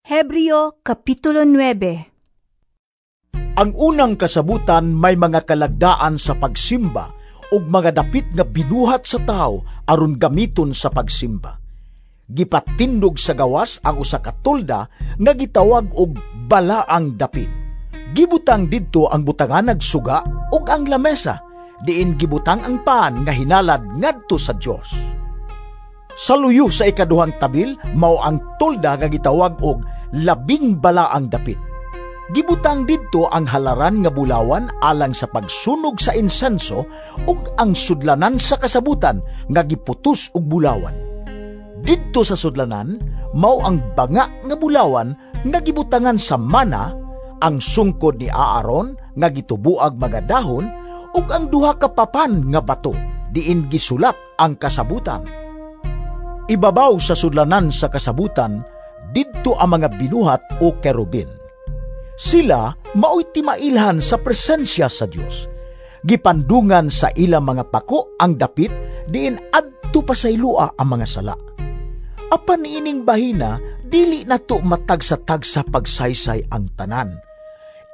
[SPEAKER 1] Hebreo Kapitulo 9.
[SPEAKER 2] Ang unang kasabutan may mga kalagdaan sa pagsimba ug mga dapit nga binuhat sa tawo aron gamiton sa pagsimba. Gipatindog sa gawas ang usa ka tolda nga gitawag og balaang dapit. Gibutang didto ang butanganag suga ug ang lamesa, diin gibutang ang pan nga hinalad ngadto sa Dios. Sa luyo sa ikaduhang tabil mao ang tolda nga gitawag og labing balaang dapit. Gibutang didto ang halaran nga bulawan alang sa pagsunog sa insenso ug ang sudlanan sa kasabutan nga giputos og bulawan. Didto sa sudlanan mao ang banga nga bulawan nga gibutangan sa mana, ang sungkod ni Aaron nga gitubuag mga dahon ug ang duha ka papan nga bato diin gisulat ang kasabutan. Ibabaw sa sudlanan sa kasabutan didto ang mga binuhat o kerubin. Sila mao'y timailhan sa presensya sa Dios. Gipandungan sa ilang mga pako ang dapit diin adto pa sa ilua ang mga sala. Apan ining bahina dili nato matagsa-tagsa pagsaysay ang tanan.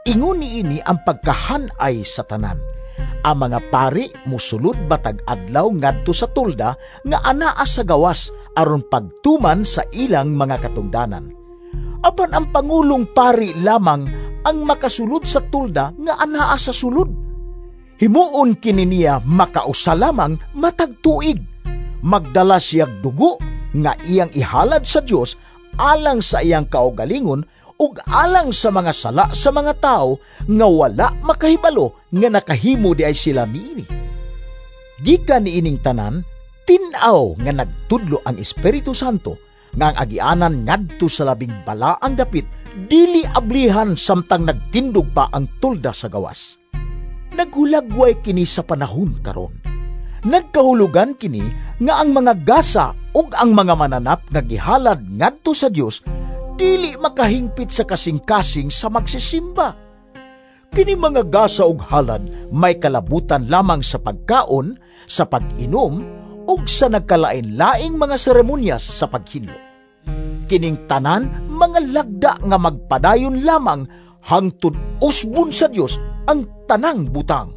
[SPEAKER 2] Ingon niini ang pagkahanay sa tanan. Ang mga pari musulod batag adlaw ngadto sa tolda nga anaa sa gawas aron pagtuman sa ilang mga katungdanan. Apan ang pangulong pari lamang ang makasulod sa tolda nga anaa sa sulod. Himuon kini niya makausa lamang matag tuig. Magdala siyag dugo nga iyang ihalad sa Dios alang sa iyang kaugalingon ug alang sa mga sala sa mga tawo nga wala makahibalo nga nakahimo di ay sila niini. Gikan niining tanan, tin-aw nga nagtudlo ang Espiritu Santo nga ang agianan ngadto sa labing balaang dapit dili ablihan samtang nagtindog pa ang tolda sa gawas. Naghulagway kini sa panahon karon. Nagkahulugan kini nga ang mga gasa ug ang mga mananap nga gihalad ngadto sa Dios dili makahingpit sa kasing-kasing sa magsisimba. Kini mga gasa ug halad may kalabutan lamang sa pagkaon, sa pag-inom, ug sa nagkalain-laing mga seremonyas sa paghinlo. Kining tanan mga lagda nga magpadayon lamang hangtod usbon sa Dios ang tanang butang.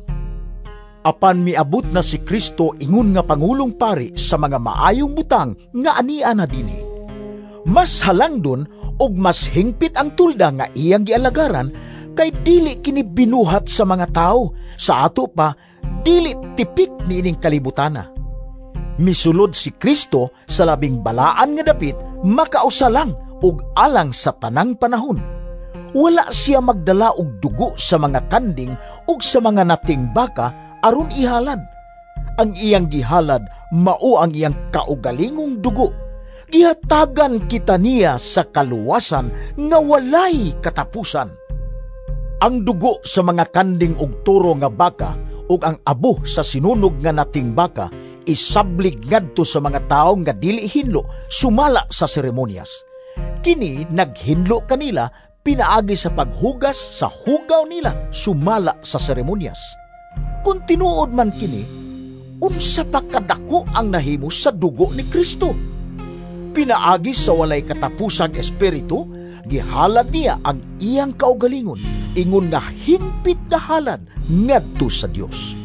[SPEAKER 2] Apan miabot na si Kristo ingon nga pangulong pari sa mga maayong butang nga ania na dinhi. Mas halangdon ug mas hingpit ang tulda nga iyang gialagaran kay dili kini binuhat sa mga tawo, sa ato pa dili tipik niining kalibutana. Misulod si Kristo sa labing balaan nga dapit makausa lang ug alang sa tanang panahon. Wala siya magdala og dugo sa mga kanding ug sa mga nating baka aron ihalad. Ang iyang gihalad mao ang iyang kaugalingong dugo. Gihatagan kita niya sa kaluwasan nga walay katapusan. Ang dugo sa mga kanding ug turo nga baka ug ang abo sa sinunog nga nating baka isablig ngadto sa mga tawo nga dili hinlo sumala sa seremonyas. Kini naghinlo kanila pinaagi sa paghugas sa hugaw nila sumala sa seremonyas. Kung tinuod man kini, unsa pa kadako ang nahimo sa dugo ni Kristo? Pinaagi sa walay katapusang espiritu, gihalad niya ang iyang kaugalingon, ingon nga hingpit na halad ngadto sa Dios.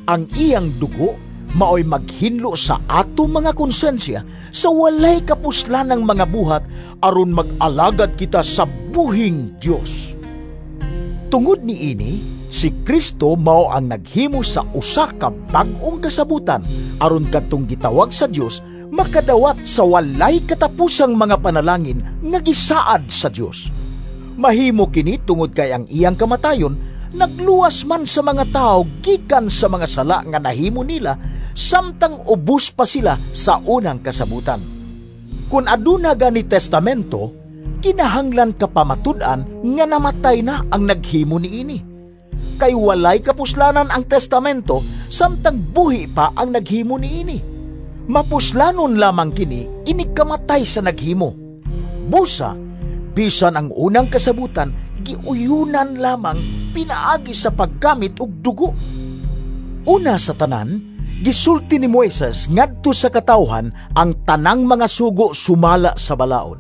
[SPEAKER 2] Ang iyang dugo maoy maghinlo sa ato mga konsensya sa walay kapuslanang mga buhat aron mag-alagad kita sa buhing Dios. Tungod niini, si Kristo mao ang naghimo sa usa ka bag-ong kasabutan aron kadtong gitawag sa Dios makadawat sa walay katapusang mga panalangin nga gisaad sa Dios. Mahimo kini tungod kay ang iyang kamatayon nagluwas man sa mga tao gikan sa mga sala nga nahimo nila samtang ubos pa sila sa unang kasabutan. Kung aduna gani testamento, kinahanglan ka pamatud-an nga namatay na ang naghimo niini. Kay walay kapuslanan ang testamento samtang buhi pa ang naghimo niini. Mapuslanon lamang kini inig kamatay sa naghimo. Busa, bisan ang unang kasabutan, giuyunan lamang pinaagi sa paggamit og dugo. Una sa tanan, gisulti ni Moises ngadto sa katawhan ang tanang mga sugo sumala sa balaod.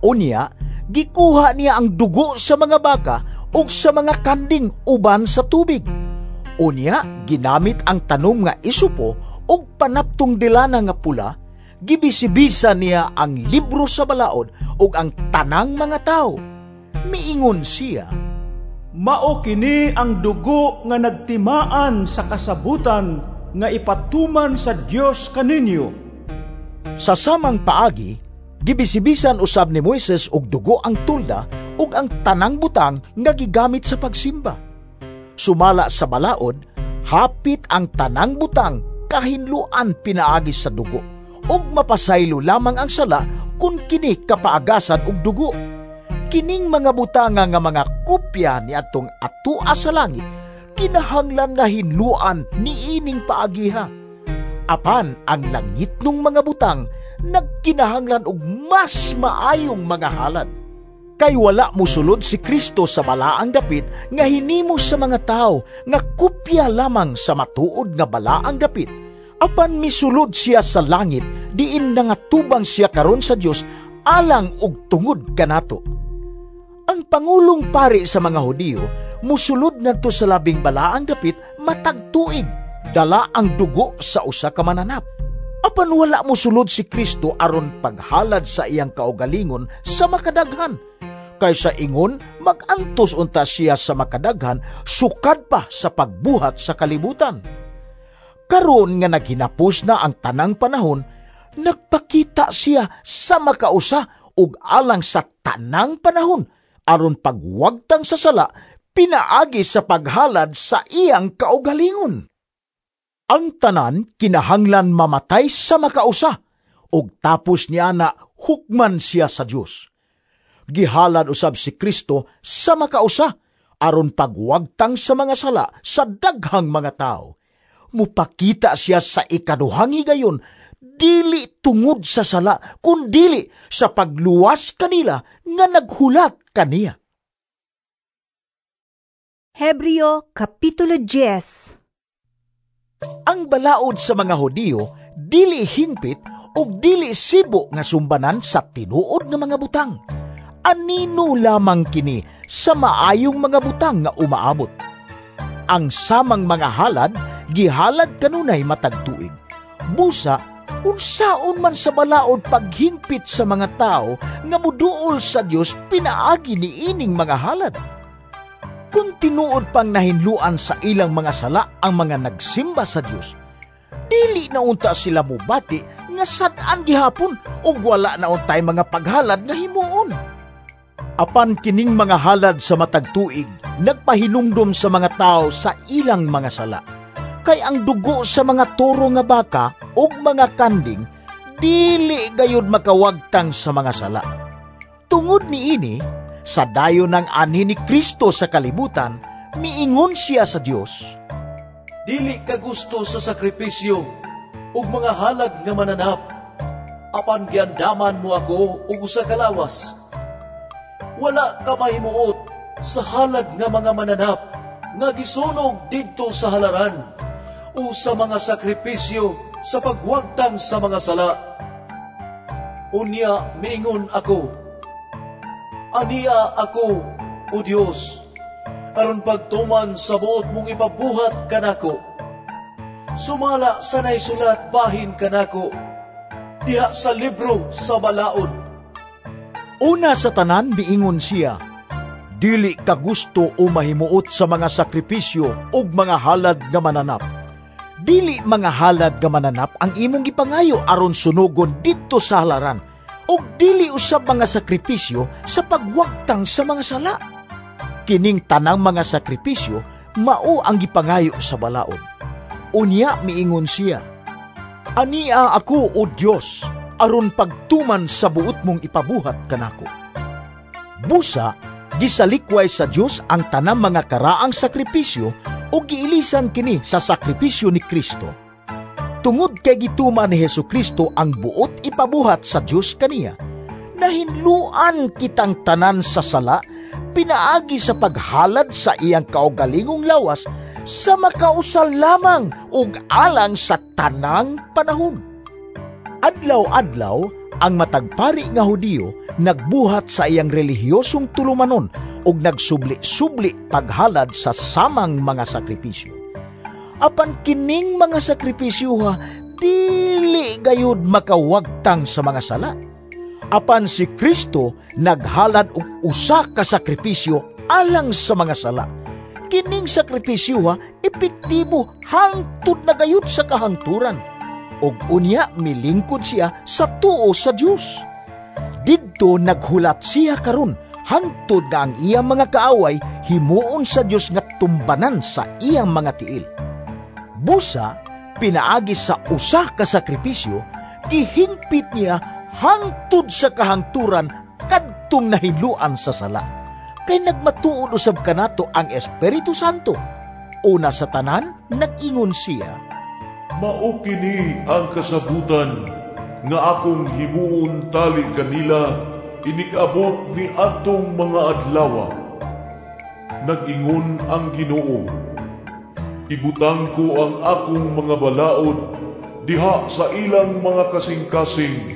[SPEAKER 2] Unya, gikuha niya ang dugo sa mga baka ug sa mga kanding uban sa tubig. Unya, ginamit ang tanom nga isupo ug panaptong dilana nga pula, gibisibisa niya ang libro sa balaod ug ang tanang mga tawo. Miingon siya,
[SPEAKER 4] mao kini ang dugo nga nagtimaan sa kasabutan nga ipatuman sa Dios kaninyo.
[SPEAKER 2] Sa samang paagi, gibisibisan usab ni Moises og dugo ang tulda ug ang tanang butang nga gigamit sa pagsimba. Sumala sa balaod, hapit ang tanang butang kahinluan pinaagi sa dugo, ug mapasaylo lamang ang sala kung kini kapaagasan og dugo. Kining mga butanga nga mga kopya ni atong atua sa langit, kinahanglan nga hinluan niining paagiha. Apan ang langitnong mga butang nagkinahanglan og mas maayong mga halad. Kay wala musulod si Kristo sa balaang dapit nga hinimo sa mga tao nga kopya lamang sa matuod nga balaang dapit. Apan misulod siya sa langit diin nangatubang siya karon sa Dios alang og tungod kanato. Ang pangulong pari sa mga Hudiyo musulod ngadto sa labing balaang dapit matag tuig, dala ang dugo sa usa ka mananap. Apan wala mosulod si Kristo aron paghalad sa iyang kaugalingon sa makadaghan. Kaysa ingon, magantos unta siya sa makadaghan sukad pa sa pagbuhat sa kalibutan. Karon nga naghinapos na ang tanang panahon, nagpakita siya sa makausa ug alang sa tanang panahon aron pagwagtang sa sala pinaagi sa paghalad sa iyang kaugalingon. Ang tanan kinahanglan mamatay sa makausa ug tapos niya na hukman siya sa Dios. Gihalad usab si Kristo sa makausa aron pagwagtang sa mga sala sa daghang mga tao. Mupakita siya sa ikaduhang higayon, dili tungod sa sala, kundili sa pagluwas kanila nga naghulat kaniya.
[SPEAKER 1] Hebreo Kapitulo 10.
[SPEAKER 2] Ang balaod sa mga Hudiyo dili hingpit ug dili sibo nga sumbanan sa tinuod nga mga butang. Anino lamang kini sa maayong mga butang nga umaabot. Ang samang mga halad gihalad kanunay matag tuig. Busa unsaon man sa balaod paghingpit sa mga tao nga muduol sa Dios pinaagi niining mga halad. Kung tinuod pang nahinluan sa ilang mga sala ang mga nagsimba sa Dios, dili na unta sila mubati nga sad-an gihapon ug wala na untay mga paghalad nga himuon. Apan kining mga halad sa matag tuig nagpahinumdom sa mga tao sa ilang mga sala. Kay ang dugo sa mga toro nga baka ug mga kanding dili gayud makawagtang sa mga sala. Tungod niini, sa dayon ng anhi ni Kristo sa kalibutan, miingon siya sa Dios,
[SPEAKER 5] Dili ka gusto sa sakripisyo ug mga halad nga mananap, apan giandaman mo ako og usa ka lawas. Wala ka mahimuot sa halad nga mga mananap nga gisunog didto sa halaran o sa mga sakripisyo sa pagwagtang sa mga sala. Unya miingon ako, aniya ako, O Dios, aron pagtuman sa buot mong ipabuhat kanako. Sumala sa naisulat bahin kanako, diha sa libro sa balaod.
[SPEAKER 2] Una sa tanan miingon siya, dili ka gusto o mahimuot sa mga sakripisyo ug mga halad nga mananap. Dili mga halad nga mananap ang imong gipangayo aron sunugon didto sa halaran, ug dili usab mga sakripisyo sa pagwagtang sa mga sala. Kining tanang mga sakripisyo mao ang gipangayo sa balaod. Unya miingon siya, ania ako, O Dios, aron pagtuman sa buot mong ipabuhat kanako. Busa, gisalikway sa Dios ang tanang mga karaang sakripisyo o giilisan kini sa sakripisyo ni Kristo. Tungod kay gituman ni Hesukristo ang buot ipabuhat sa Dios kaniya, nahinluan kitang tanan sa sala pinaagi sa paghalad sa iyang kaugalingong lawas sa makausa lamang ug alang sa tanang panahon. Adlaw-adlaw, ang matagpari nga Hudiyo nagbuhat sa iyang relihiyosong tulumanon ug nagsubli-subli paghalad sa samang mga sakripisyo. Apan kining mga sakripisyo dili gayud makawagtang sa mga sala. Apan si Kristo naghalad og usa ka sakripisyo alang sa mga sala. Kining sakripisyo epektibo hangtod na gayud sa kahangturan. Og unya milingkod siya sa tuo sa Dios. Didto naghulat siya karon hangtod nga ang iyang mga kaaway himuon sa Dios nga tumbanan sa iyang mga tiil. Busa, pinaagi sa usa ka sakripisyo, gihingpit niya hangtod sa kahangturan kadtong nahinluan sa sala. Kay nagmatuod usab kanato ang Espiritu Santo. Una sa tanan, nag-ingon siya,
[SPEAKER 3] Mao kini ang kasabutan nga akong himuon tali kanila inig-abot ni atong mga adlawa. Nag-ingon ang Ginoo, ibutang ko ang akong mga balaod diha sa ilang mga kasing-kasing,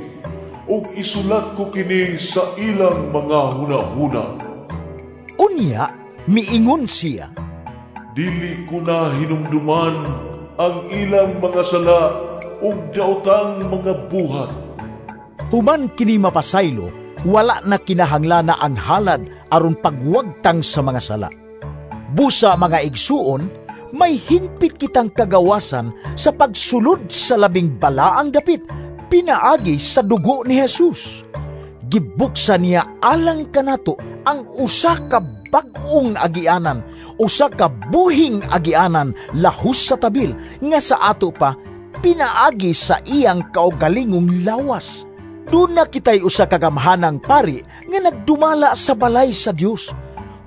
[SPEAKER 3] ug isulat ko kini sa ilang mga hunahuna.
[SPEAKER 2] Unya, miingon siya,
[SPEAKER 3] Dili ko na hinumduman ang ilang mga sala ug daotang mga buhat.
[SPEAKER 2] Human kini mapasaylo, wala na kinahanglana ang halad aron pagwagtang sa mga sala. Busa mga igsuon, may hingpit kitang kagawasan sa pagsulod sa labing balaang dapit, pinaagi sa dugo ni Jesus. Gibuksan niya alang kanato ang usa ka bag-ong agianan, usa ka buhing agianan lahos sa tabil nga sa ato pa pinaagi sa iyang kaugalingong lawas. Doon na kita'y usa ka gamhanang pari nga nagdumala sa balay sa Dios.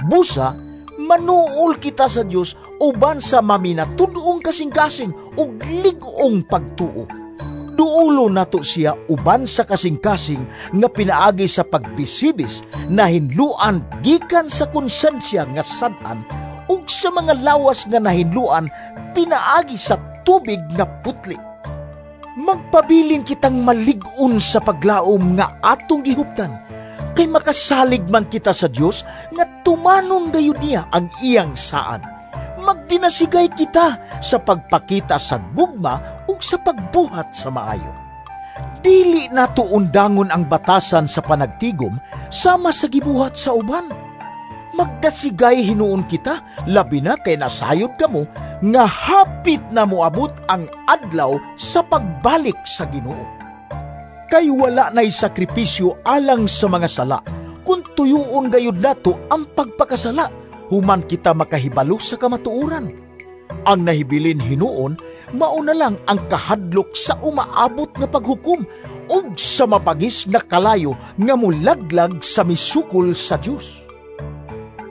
[SPEAKER 2] Busa, manuol kita sa Dios uban sa maminatud-ong kasing-kasing ug lig-ong pagtuo. Duulo nato siya uban sa kasing-kasing nga pinaagi sa pagbisibis na hinluan gikan sa konsensya nga sad-an ug sa mga lawas nga nahinluan pinaagi sa tubig nga putli. Magpabilin kitang malig-on sa paglaom nga atong gihuptan, kay makasalig man kita sa Dios nga tumanon gayud niya ang iyang saad. Magdinasigay kita sa pagpakita sa gugma ug sa pagbuhat sa maayo. Dili nato undangon ang batasan sa panagtigom sama sa gibuhat sa uban. Magdasigay hinuon kita, labi na kay nasayod kamo nga hapit na moabot ang adlaw sa pagbalik sa Ginoo. Kay wala na'y sakripisyo alang sa mga sala, kun tuyuon gayud nato ang pagpakasala, human kita makahibalo sa kamatuoran. Ang nahibilin hinuon, mauna lang ang kahadlok sa umaabot nga paghukom ug sa mapagis nga kalayo nga mulaglag sa misukol sa Dios.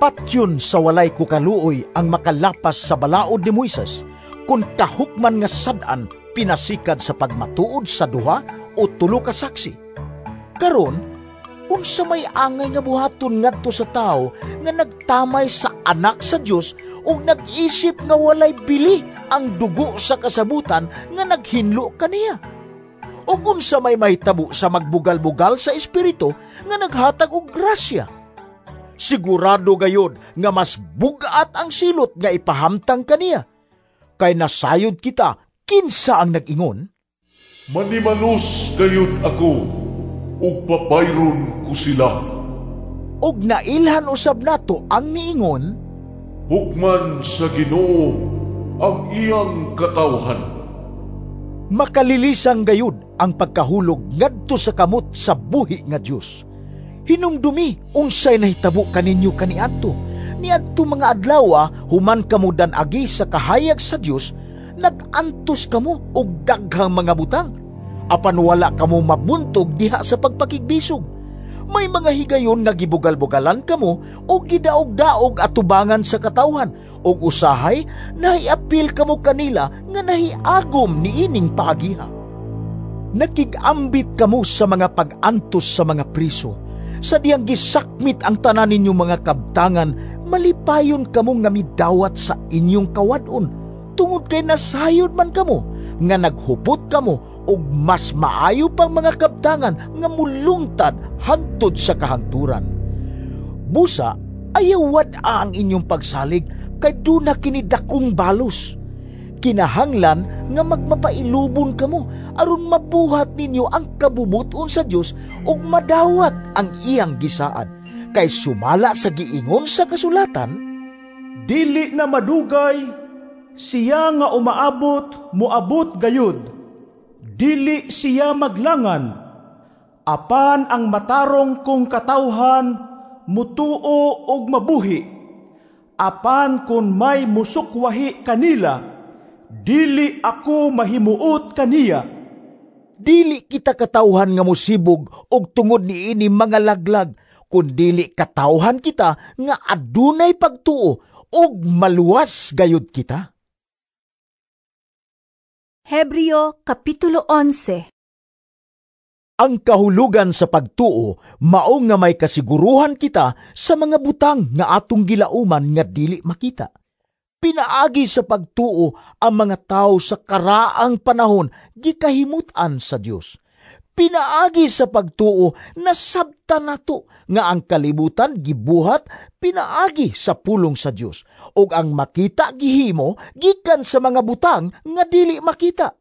[SPEAKER 2] Patyon sa walay kukaluoy ang makalapas sa balaod ni Moises, kung kahukman nga sad-an pinasikad sa pagmatuod sa duha o tulo ka saksi. Karon, unsa may angay nga buhaton ngadto sa tawo nga nagtamay sa anak sa Dios ug nag-isip nga walay bili ang dugo sa kasabutan nga naghinlo kaniya? Ug unsa may mahitabo sa magbugal-bugal sa espiritu nga naghatag og grasya? Sigurado gayod nga mas bugat ang silot nga ipahamtang kaniya. Kay nasayod kita, kinsa ang nag-ingon?
[SPEAKER 3] Manimalos gayud ako, ug pabayron ko sila.
[SPEAKER 2] Og nailhan usab nato ang niingon,
[SPEAKER 3] Hukman sa Ginoo ang iyang katawhan.
[SPEAKER 2] Makalilisan gayud ang pagkahulog ngadto sa kamot sa buhi nga Dios. Hinumdumi unsay nahitabo kaninyo kaniadto. Niadto mga adlaw human kamo dan-agi sa kahayag sa Dios, nag-antos kamo og daghang mga butang. Apan wala kamo mabuntog diha sa pagpakigbisog. May mga higayon nga gibugal-bugalan kamo og gidaog-daog atubangan sa katawhan, og usahay nahiapil kamo kanila nga nahiagom niining paagiha. Nakig-ambit kamo sa mga pag-antos sa mga priso. Sa diyang gisakmit ang tanan ninyong mga kabtangan, malipayon kamo nga midawat sa inyong kawadon, tungod kay nasayod man kamo nga naghupot kamo og mas maayo pang mga kabtangan nga mulungtad hangtod sa kahangturan. Busa, ayaw wad-a ang inyong pagsalig kay duna kini dakong balos. Kinahanglan nga magmapailubon kamo aron mabuhat ninyo ang kabubuton sa Dios ug madawat ang iyang gisaad. Kay sumala sa giingon sa kasulatan,
[SPEAKER 4] dili na madugay, siya nga umaabot, moabot gayud. Dili siya maglangan, apan ang matarong kong katawhan mutuo og mabuhi. Apan kun may musukwahi kanila, dili ako mahimuot kaniya.
[SPEAKER 2] Dili kita katawhan nga mosibog og tungod niini mga laglag, kun dili katawhan kita nga adunay pagtuo og maluwas gayud kita.
[SPEAKER 1] Hebreo Kapitulo 11.
[SPEAKER 2] Ang kahulugan sa pagtuo mao nga may kasiguruhan kita sa mga butang nga atong gilauman nga dili makita. Pinaagi sa pagtuo ang mga tao sa karaang panahon gikahimut-an sa Dios. Pinaagi sa pagtuo, nasabtan nato nga ang kalibutan gibuhat pinaagi sa pulong sa Dios, ug ang makita gihimo gikan sa mga butang nga dili makita.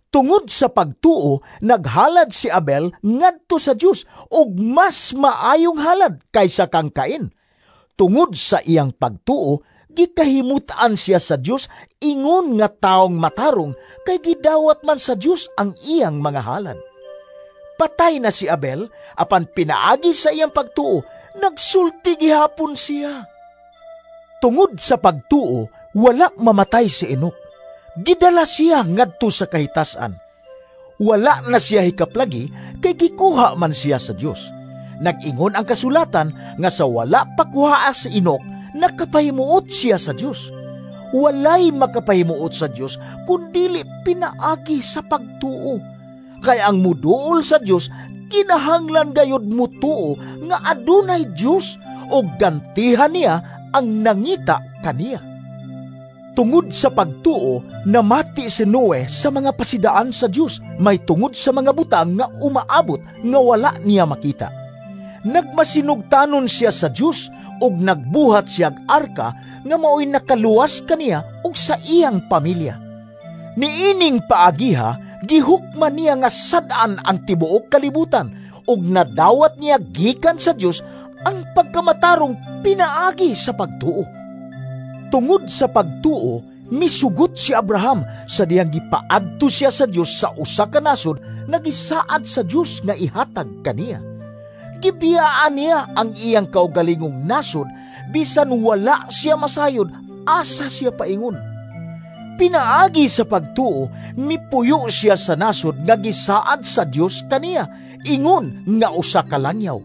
[SPEAKER 2] Tungod sa pagtuo, naghalad si Abel ngadto sa Dios og mas maayong halad kaysa kang Cain. Tungod sa iyang pagtuo, gikahimutan siya sa Dios ingon nga taong matarong kay gidawat man sa Dios ang iyang mga halad. Patay na si Abel, apan pinaagi sa iyang pagtuo, nagsulti gihapon siya. Tungod sa pagtuo, wala mamatay si Enoch. Gidala siya ngadto sa kahitasan. Wala na siya hikaplagi kay gikuha man siya sa Dios. Nag-ingon ang kasulatan nga sa wala pakuhaa si Enoch, nakapahimuot siya sa Dios. Walay makapahimuot sa Dios kun dili pinaagi sa pagtuo. Kay ang muduol sa Dios kinahanglan gayud mutuo nga adunay Dios ug gantihan niya ang nangita kaniya. Tungod sa pagtuo, namati si Noe sa mga pasidaan sa Dios, may tungod sa mga butang nga umaabot nga wala niya makita. Nagmasinugtanon siya sa Dios ug nagbuhat siyag arka nga maoy nakaluwas kaniya ug sa iyang pamilya. Niining paagiha, gihukman niya nga sad-an ang tibuok kalibutan ug nadawat niya gikan sa Dios ang pagkamatarong pinaagi sa pagtuo. Tungod sa pagtuo, misugot si Abraham sa dihang gipaadto siya sa Dios sa usa ka nasod nga gisaad sa Dios nga ihatag kaniya. Gibiyaan niya ang iyang kaugalingong nasod bisan wala siya masayod asa siya paingon. Pinaagi sa pagtuo, mipuyo siya sa nasod nga gisaad sa Dios kaniya, ingon nga usa ka langyaw.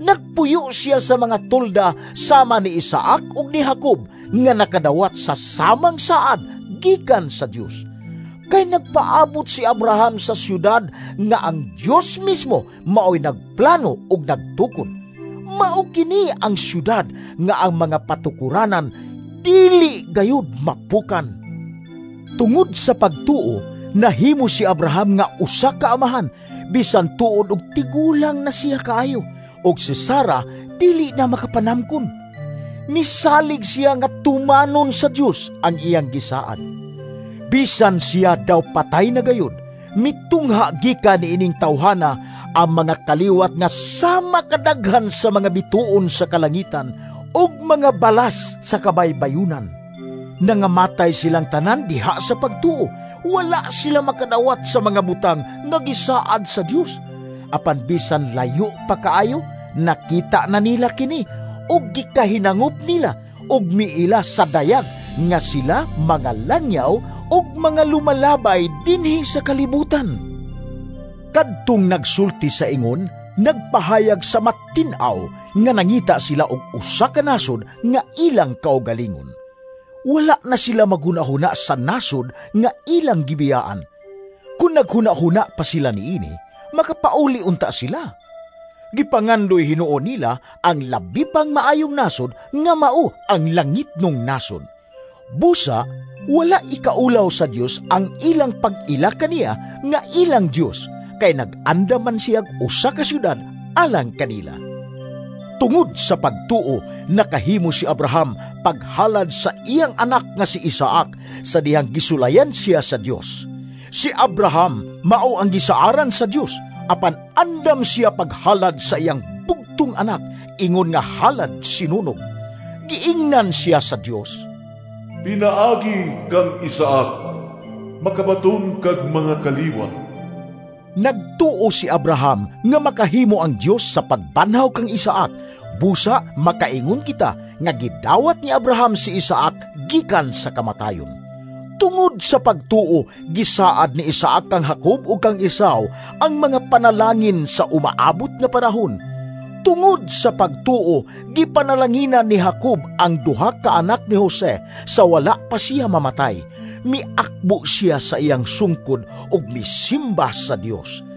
[SPEAKER 2] Nagpuyo siya sa mga tolda sama ni Isaac ug ni Jacob nga nakadawat sa samang saad gikan sa Dios. Kay nagpaabot si Abraham sa syudad nga ang Dios mismo maoy nagplano ug nagtukod. Mao kini ang syudad nga ang mga patukuranan dili gayud mapukan. Tungod sa pagtuo, nahimo si Abraham nga usa ka amahan bisan tuod og tigulang na siya kaayo, ug si Sara dili na makapanamkon. Misalig siya nga tumanon sa Dios ang iyang gisaad. Bisan siya daw patay na gayud, mitungha gikan niining tawhana ang mga kaliwat nga sama kadaghan sa mga bituon sa kalangitan ug mga balas sa kabaybayunan. Nangamatay silang tanan diha sa pagtuo, wala sila makadawat sa mga butang nga gisaad sa Dios. Apan bisan layo pa kaayo, nakita na nila kini ug gikahinangup nila ug miila sa dayag nga sila mga langyaw ug mga lumalabay dinhi sa kalibutan. Kadtong nagsulti sa ingon, nagpahayag sa matin-aw nga nangita sila og usa ka nasod nga ilang kaugalingon. Wala na sila maghunahuna sa nasod nga ilang gibiyaan. Kung naghunahuna pa sila niini, makapauli unta sila. Gipangandoy hinuon nila ang labi pang maayong nasod nga mao ang langitnong nasod. Busa, wala ikaulaw sa Dios ang ilang pag-ila kaniya nga ilang Dios, kay nag-anda man siyag usa ka syudad alang kanila. Tungod sa pagtuo, nakahimo si Abraham paghalad sa iyang anak nga si Isaac sa dihang gisulayan siya sa Dios. Si Abraham mao ang gisaaran sa Dios, apan andam siya paghalad sa iyang bugtong anak, ingon nga halad sinunog. Giingnan siya sa Dios,
[SPEAKER 3] "Pinaagi kang Isaac, makabaton kag mga kaliwat."
[SPEAKER 2] Nagtuo si Abraham nga makahimo ang Dios sa pagbanhaw kang Isaac. Busa makaingon kita nga gidawat ni Abraham si Isaac gikan sa kamatayon. Tungod sa pagtuo, gisaad ni Isaac kang Jacob ug kang Esau ang mga panalangin sa umaabot nga panahon. Tungod sa pagtuo, gipanalanginan ni Jacob ang duha ka anak ni Jose sa wala pa siya mamatay. Miakbo siya sa iyang sungkod ug misimba sa Dios.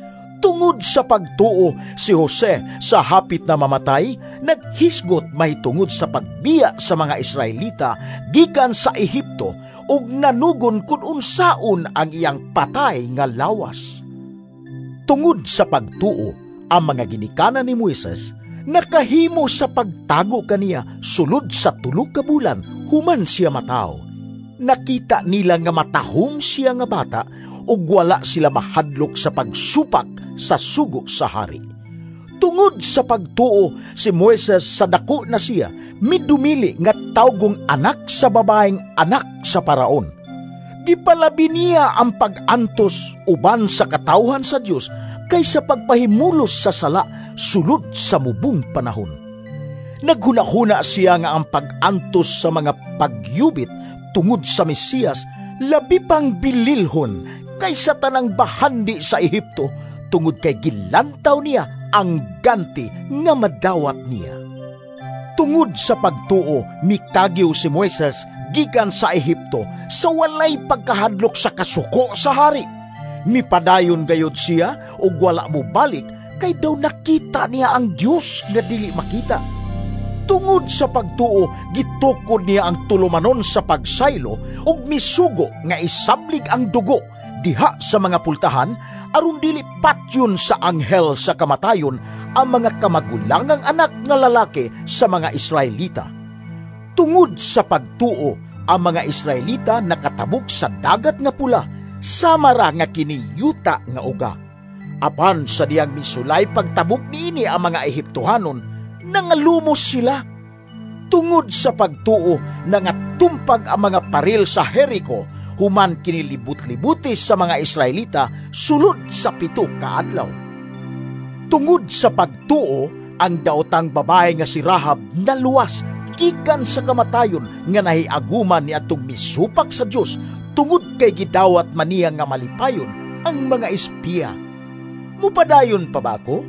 [SPEAKER 2] Tungod sa pagtuo, si Jose sa hapit na mamatay, naghisgot mahitungod sa pagbiya sa mga Israelita gikan sa Ehipto ug nanugon kun unsaon ang iyang patay nga lawas. Tungod sa pagtuo, ang mga ginikanan ni Moises nakahimo sa pagtago kaniya sulod sa 3 ka bulan human siya mataw. Nakita nila nga matahom siya nga bata ug wala sila mahadlok sa pagsupak sa sugo sa hari. Tungod sa pagtuo, si Moises sa dako na siya midumili nga tawgong anak sa babaeng anak sa paraon. Gipalabi niya ang pag-antos uban sa katawhan sa Dios kaysa pagpahimulos sa sala sulod sa mubong panahon. Naghunahuna siya nga ang pag-antos sa mga pagyubit tungod sa Mesiyas labi pang bililhon kaysa tanang bahandi sa Ehipto, tungod kay gilantaw niya ang ganti nga madawat niya. Tungod sa pagtuo, mikagiw si Moises gikan sa Ehipto sa walay pagkahadlok sa kasuko sa hari. Mipadayon gayod siya ug wala mobalik kay daw nakita niya ang Dios nga dili makita. Tungod sa pagtuo, gitukod niya ang tulumanon sa pagsaylo ug misugo nga isablig ang dugo diha sa mga pultahan aron dili patyon sa anghel sa kamatayon ang mga kamagulangang anak nga lalaki sa mga Israelita. Tungod sa pagtuo, ang mga Israelita nakatabok sa dagat nga pula, sama ra nga kiniyuta nga uga. Apan sa diyang misulay pagtabok niini ang mga Ehiptohanon, nangalumos sila. Tungod sa pagtuo, nangatumpag ang mga paril sa Jericho, human kinilibot-libuti sa mga Israelita sulod sa 7 ka adlaw. Tungod sa pagtuo, ang daotang babae nga si Rahab naluwas gikan sa kamatayon nga nahiaguman ni atong misupak sa Dios tungod kay gidawat man niya nga malipayon ang mga espiya. Mupadayon pa ba ako?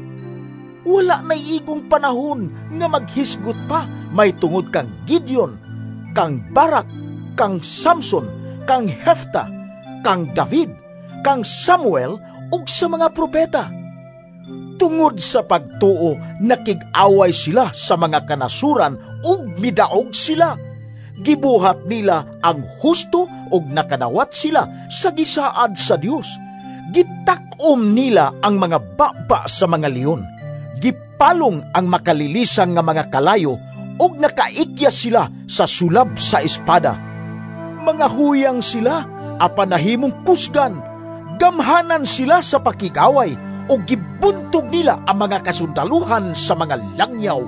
[SPEAKER 2] Wala na'y igong panahon nga maghisgot pa may tungod kang Gideon, kang Barak, kang Samson, kang Hefta, kang David, kang Samuel ug sa mga propeta. Tungod sa pagtuo, nakig-away sila sa mga kanasuran ug midaog sila. Gibuhat nila ang husto ug nakanawat sila sa gisaad sa Dios. Gitak-om nila ang mga baba sa mga leon. Gipalong ang makalilisang nga mga kalayo ug nakaikya sila sa sulab sa espada. Mga huyang sila apan nahimong kusgan. Gamhanan sila sa pakig-away o gibuntog nila ang mga kasundaluhan sa mga langyaw.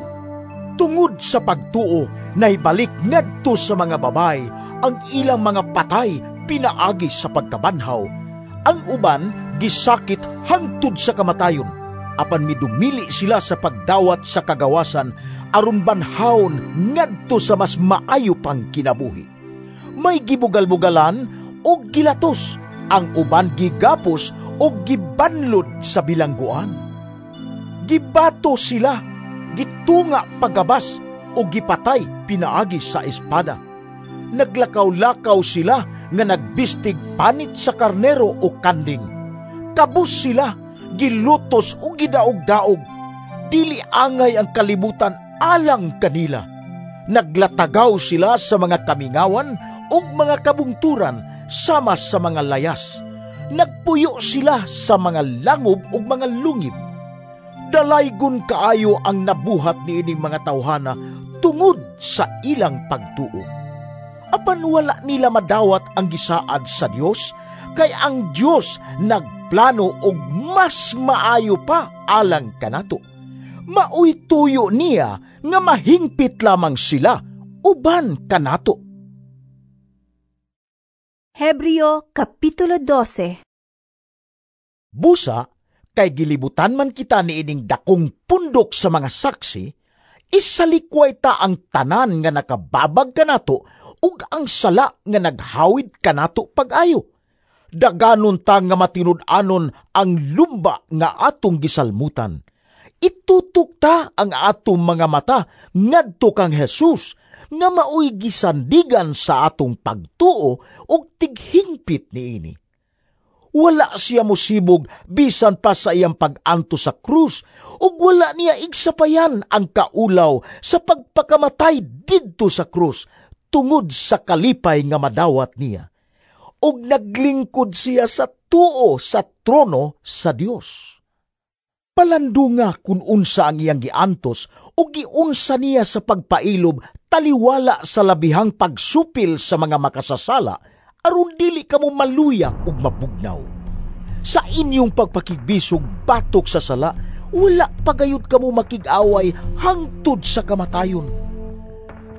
[SPEAKER 2] Tungod sa pagtuo, naibalik ngadto sa mga babay ang ilang mga patay pinaagi sa pagkabanhaw. Ang uban gisakit hangtod sa kamatayon, apan midumili sila sa pagdawat sa kagawasan aron banhawon ngadto sa mas maayo pang kinabuhi. May gibugal-bugalan o gilatos, ang uban gigapos o gibanlod sa bilangguan. Gibato sila, gitunga pagabas o gipatay pinaagi sa espada. Naglakaw-lakaw sila nga nagbistig panit sa karnero o kanding. Kabus sila, gilutos o gidaog-daog. Dili angay ang kalibutan alang kanila. Naglatagaw sila sa mga kamingawan ug mga kabungturan sama sa mga layas. Nagpuyo sila sa mga langob ug mga lungib. Dalaygon kaayo ang nabuhat niining mga tawhana tungod sa ilang pagtuo. Apan wala nila madawat ang gisaad sa Dios, kay ang Dios nagplano og mas maayo pa alang kanato. Maoy tuyo niya nga mahingpit lamang sila uban kanato.
[SPEAKER 1] Hebreo Kapitulo 12.
[SPEAKER 2] Busa, kay gilibutan man kita niining dakong pundok sa mga saksi, isalikway ta ang tanan nga nakababag kanato ug ang sala nga naghawid kanato pag-ayo. Daganon ta nga matinud-anon ang lumba nga atong gisalmutan. Itutok ta ang atong mga mata ngadto kang Jesus nga maoy gisandigan sa atong pagtuo ug tighingpit niini. Wala siya mosibog bisan pa sa iyang pag-anto sa krus ug wala niya igsapayan ang kaulaw sa pagpakamatay didto sa krus tungod sa kalipay nga madawat niya. Ug naglingkod siya sa tuo sa trono sa Dios. Palandunga kun unsa ang iyang giantos o giunsa niya sa pagpailob taliwala sa labihang pagsupil sa mga makasasala aron dili kamo maluya ug mabugnaw. Sa inyong pagpakigbisog batok sa sala, wala pagayod kamo makig-away hangtod sa kamatayon.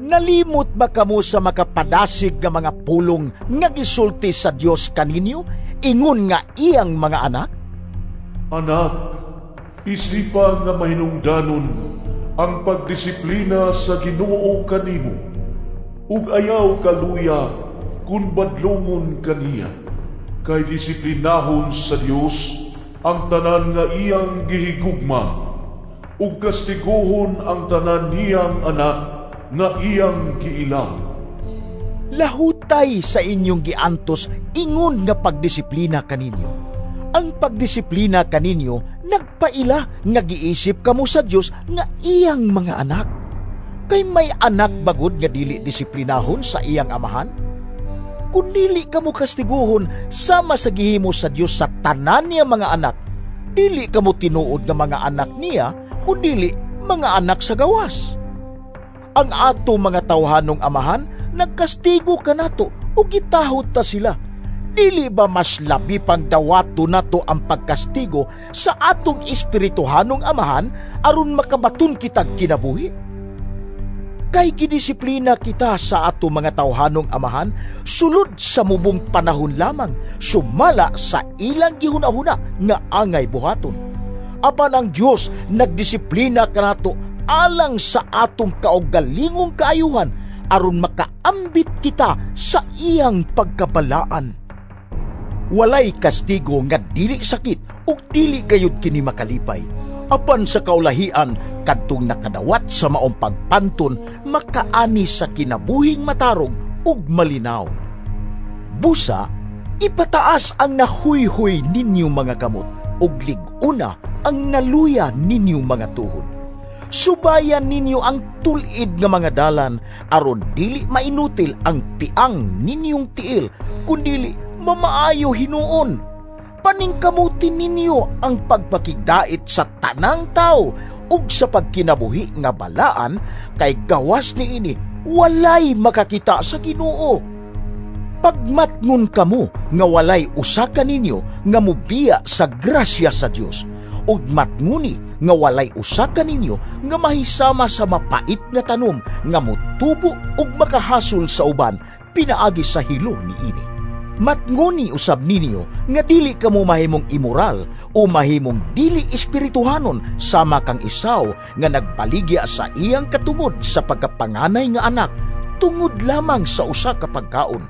[SPEAKER 2] Nalimot ba kamo sa makapadasig nga mga pulong nga gisulti sa Dios kaninyo ingon nga iyang mga anak?
[SPEAKER 3] Anak, isipa nga mahinungdanon ang pagdisiplina sa Ginoo kanimo, ug ayaw kaluya kun badlongon kaniya. Kay disiplinahon sa Dios ang tanan nga iyang gihigugma, ug kastiguhon ang tanan niyang anak nga iyang giilaw.
[SPEAKER 2] Lahutay sa inyong giantos ingon nga pagdisiplina kaninyo. Ang pagdisiplina kaninyo nagpaila nga giisip kamo sa Dios nga iyang mga anak. Kay may anak bagod nga dili disiplinahon sa iyang amahan? Kun dili kamo kastiguhon sama sa gihimo sa Dios sa tanan niya mga anak, dili kamo tinuod nga mga anak niya, kun dili mga anak sa gawas. Ang ato mga tawhanong amahan nagkastigo kanato ug gitahod ta sila. Dili ba mas labi pang dawato nato ang pagkastigo sa atong espirituhanong amahan aron makabaton kitag kinabuhi? Kay gidisiplina kita sa ato mga tawhanong amahan sulod sa mubong panahon lamang, sumala sa ilang gihuna-huna nga angay buhaton. Apan ang Dios nagdisiplina kanato alang sa atong kaugalingong kaayuhan aron makaambit kita sa iyang pagkabalaan. Walay kastigo nga dili sakit ug dili gayud kini makalipay. Apan sa kaulahian kadtong nakadawat sa maong pagpanton makaani sa kinabuhing matarong ug malinaw. Busa, ipataas ang nahuyhoy ninyong mga kamot ug lig-una ang naluya ninyong mga tuhod. Subayan ninyo ang tulid nga mga dalan aron dili mainutil ang piang ninyong tiil, kundili mamaayo hinuon. Paningkamutin ninyo ang pagpakigdait sa tanang tao ug sa pagkinabuhi nga balaan, kay gawas niini walay makakita sa Ginoo. Pagmatngon kamo nga walay usa kaninyo nga mobiya sa grasya sa Dios, ug matnguni nga walay usa kaninyo nga mahisama sa mapait nga tanom nga motubo ug makahasol sa uban pinaagi sa hilo niini. Matnguni usab ninyo nga dili kamo mahimong immoral o mahimong dili espirituhanon sama kang Esau nga nagbaligya sa iyang katungod sa pagkapanganay nga anak tungod lamang sa usa ka pagkaon.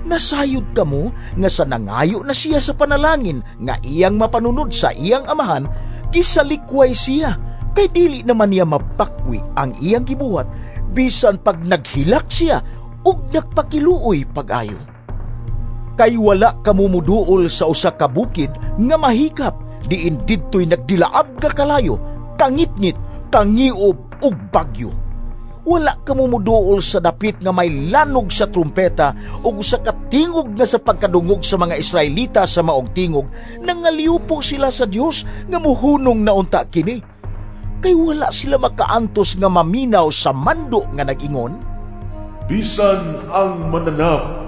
[SPEAKER 2] Nasayod kamo nga sa nangayo na siya sa panalangin nga iyang mapanunod sa iyang amahan, gisalikway siya kay dili naman niya mabakwi ang iyang gibuhat bisan pag naghilak siya ug nagpakiluoy pag-ayo. Kay wala kamo muduol sa usa ka bukid nga mahikap, diin didtoy nagdilaab nga kalayo, kangitngit, kangiob ug bagyo. Wala kamo muduol sa dapit nga may lanog sa trumpeta ug usa ka tingog nga sa pagkadungog sa mga Israelita sa maong tingog, nangaliupo sila sa Dios nga muhunong na unta kini. Kay wala sila makaantos nga maminaw sa mando nga nag-ingon,
[SPEAKER 3] bisan ang mananap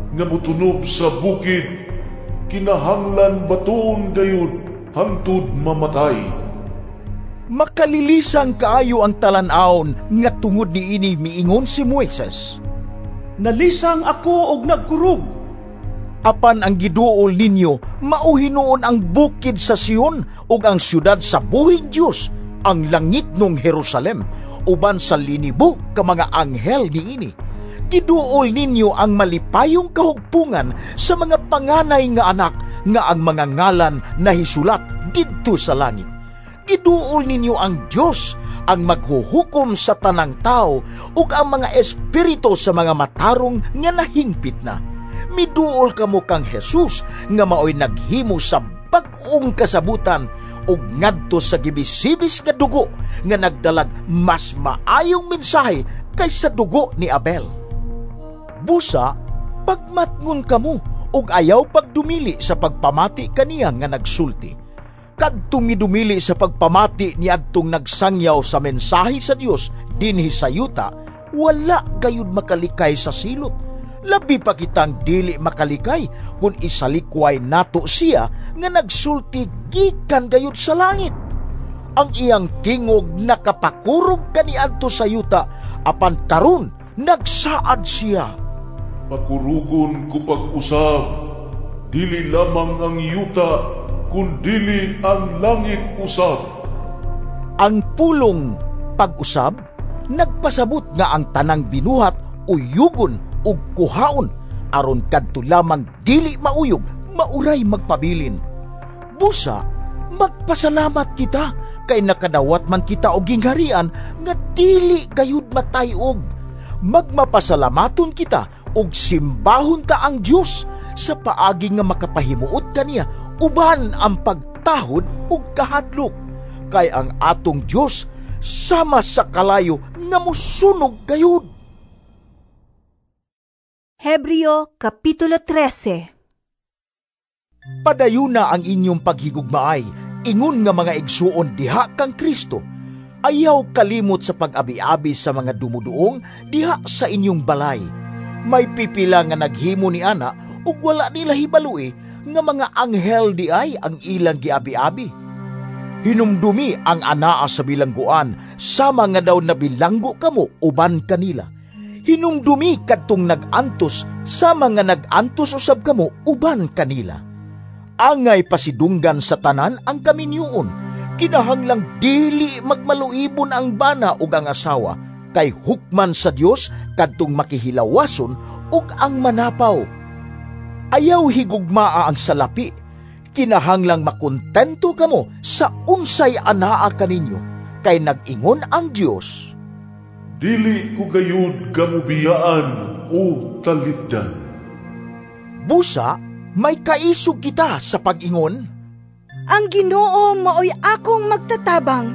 [SPEAKER 3] nga mutunob sa bukid, kinahanglan batuon gayud hangtod mamatay.
[SPEAKER 2] Makalilisang kaayo ang talan-awon nga tungod niini miingon si Moises,
[SPEAKER 4] nalisang ako og nagkurog.
[SPEAKER 2] Apan ang giduol ninyo mao hinuon ang bukid sa Sion ug ang syudad sa buhing Dios, ang langit nung Jerusalem, uban sa linibo ka mga anghel niini. Giduol ninyo ang malipayong kahugpungan sa mga panganay nga anak nga ang mga ngalan nahisulat didto sa langit. Giduol ninyo ang Dios ang maghuhukom sa tanang tao ug ang mga espiritu sa mga matarong nga nahingpit na. Miduol kamo kang Jesus nga maoy naghimo sa bag-ong kasabutan ug ngadto sa gibisibis nga dugo nga nagdalag mas maayong mensahe kaysa dugo ni Abel. Busa, pagmatngon kamo ug ayaw pagdumili sa pagpamati kaniya nga nagsulti. Kadtong midumili sa pagpamati niadtong nagsangyaw sa mensahe sa Dios dinhi sa yuta, wala gayud makalikay sa silot. Labi pa kitang dili makalikay kung isalikway nato siya nga nagsulti gikan gayud sa langit. Ang iyang tingog nakapakurog kaniadto sa yuta, apan karon nagsaad siya.
[SPEAKER 3] Pakurugon ko pag-usab, dili lamang ang yuta, kundili ang langit usab.
[SPEAKER 2] Ang pulong pag-usab nagpasabot nga ang tanang binuhat uyugon ug kuhaon aron kadto lamang dili mauyog mauray magpabilin. Busa magpasalamat kita kay nakadawat man kita og gingharian nga dili gayud matayog. Magmapasalamaton kita ug simbahon ta ang Dios sa paagi nga makapahimuot kaniya uban ang pagtahod ug kahadlok, kay ang atong Dios sama sa kalayo nga mosunog gayud.
[SPEAKER 1] Hebreo Kapitulo 13.
[SPEAKER 2] Padayuna ang inyong paghigugmaay, ingon nga mga igsuon diha kang Kristo. Ayaw kalimot sa pag-abi-abi sa mga dumuduong diha sa inyong balay. May pipila nga naghimo ni ana ug wala nila hibalui nga mga anghel di ay ang ilang giabi-abi. Hinumdumi ang anaa sa bilangguan, sama nga daw nabilanggo kamo uban kanila. Hinumdumi kadtong nag-antos, sama nga nag-antos usab kamo uban kanila. Angay pasidunggan sa tanan ang kaminyuon. Kinahanglang dili magmaluibon ang bana ug ang asawa, kay hukman sa Dios kadtong makihilawason ug ang manapaw. Ayaw higugmaa ang salapi. Kinahanglang makontento kamo sa unsay anaa kaninyo, kay nag-ingon ang Dios,
[SPEAKER 3] dili ko gayud gamubiyaan o talipdan.
[SPEAKER 2] Busa may kaisog kita sa pag-ingon,
[SPEAKER 1] ang Ginoo maoy akong magtatabang.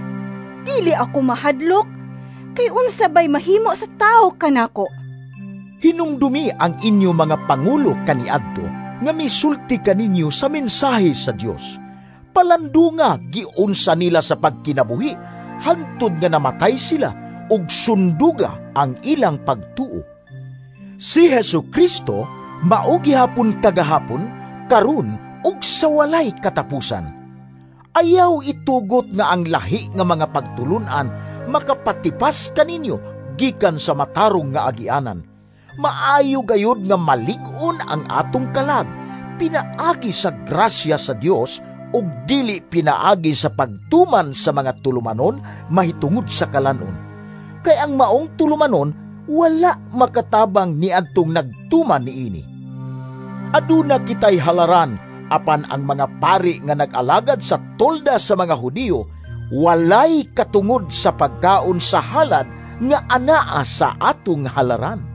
[SPEAKER 1] Dili ako mahadlok, kay unsa bay mahimo sa tawo kanako.
[SPEAKER 2] Hinumdumi ang inyo mga pangulo kaniadto nga misulti kaninyo sa mensahe sa Dios. Palandunga giunsa nila sa pagkinabuhi hangtod nga namatay sila ug sunduga ang ilang pagtuo. Si Hesus Kristo mao gihapon kagahapon, karon ug sa walay katapusan. Ayaw itugot nga ang lahi nga mga pagtulunan makapatipas kaninyo gikan sa matarong nga agianan. Maayo gayud nga malig-on ang atong kalag pinaagi sa grasya sa Dios ug dili pinaagi sa pagtuman sa mga tulumanon mahitungod sa kalanon. Kay ang maong tulumanon wala makatabang niadtong nagtuman niini. Aduna kitay halaran, apan ang mga pari nga nag-alagad sa tolda sa mga Hudiyo walay katungod sa pagkaon sa halad nga anaa sa atong halaran.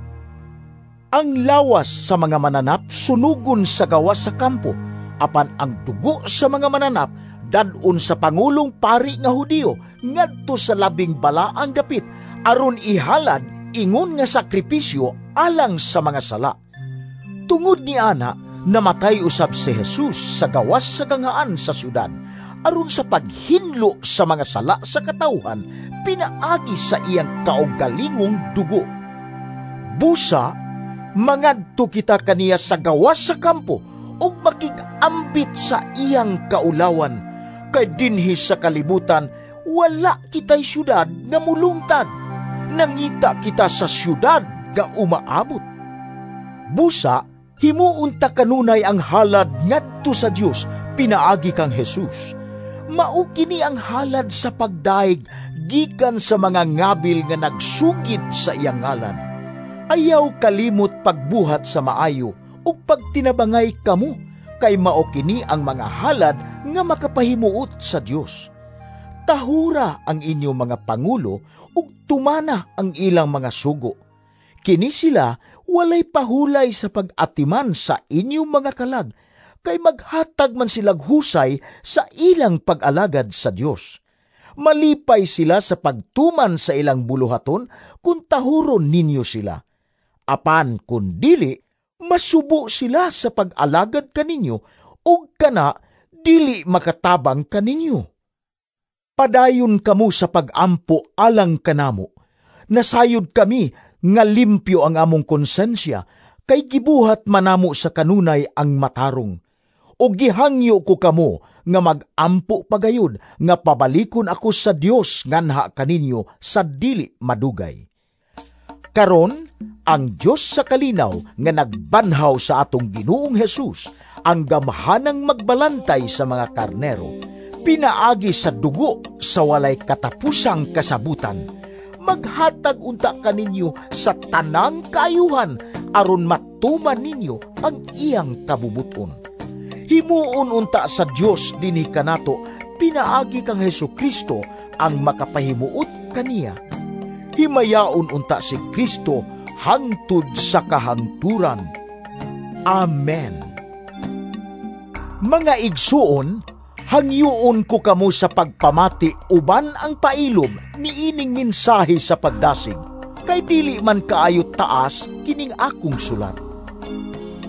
[SPEAKER 2] Ang lawas sa mga mananap sunugon sa gawas sa kampo, apan ang dugo sa mga mananap dadon sa pangulong pari nga Hudiyo ngadto sa labing balaang dapit aron ihalad ingon nga sakripisyo alang sa mga sala. Tungod ni ana, namatay usab si Jesus sa gawas sa ganghaan sa syudad aron sa paghinlo sa mga sala sa katawhan pinaagi sa iyang kaugalingong dugo. Busa mangadto kita kaniya sa gawas sa kampo ug makig-ambit sa iyang kaulawan, kay dinhi sa kalibutan wala kitay syudad nga mulungtad. Nangita kita sa syudad nga umaabot. Busa himuon ta kanunay ang halad ngadto sa Dios pinaagi kang Jesus. Mao kini ang halad sa pagdaig gikan sa mga ngabil nga nagsugid sa iyang ngalan. Ayaw kalimot pagbuhat sa maayo ug pagtinabangay kamo, kay mao kini ang mga halad nga makapahimuot sa Dios. Tahura ang inyong mga pangulo ug tumana ang ilang mga sugo. Kini sila walay pahulay sa pag-atiman sa inyong mga kalag, kay maghatag man silag husay sa ilang pag-alagad sa Dios. Malipay sila sa pagtuman sa ilang buluhaton kung tahuron ninyo sila. Apan kun dili, masubo sila sa pag-alagad kaninyo ug kana Dili makatabang kaninyo. Padayon kamo sa pag-ampo alang kanamo. Nasayod kami nga limpyo ang among konsensya, kay gibuhat manamo sa kanunay ang matarong. O gihangyo ko kamo nga mag-ampo pagayod nga pabalikon ako sa Dios nganha kaninyo sa dili madugay. Karon, ang Dios sa kalinaw nga nagbanhaw sa atong Ginoong Hesus, ang gamhanang magbalantay sa mga karnero, pinaagi sa dugo sa walay katapusang kasabutan, maghatag unta kaninyo sa tanang kaayuhan aron matuman ninyo ang iyang kabubuton. Himuon unta sa Dios dinhi kanato pinaagi kang Hesukristo ang makapahimuot kaniya. Himayaon unta si Kristo hangtod sa kahangturan. Amen. Mga igsuon, hangyoon ko kamo sa pagpamati uban ang pailob niining mensahe sa pagdasig, kay dili man kaayo taas kining akong sulat.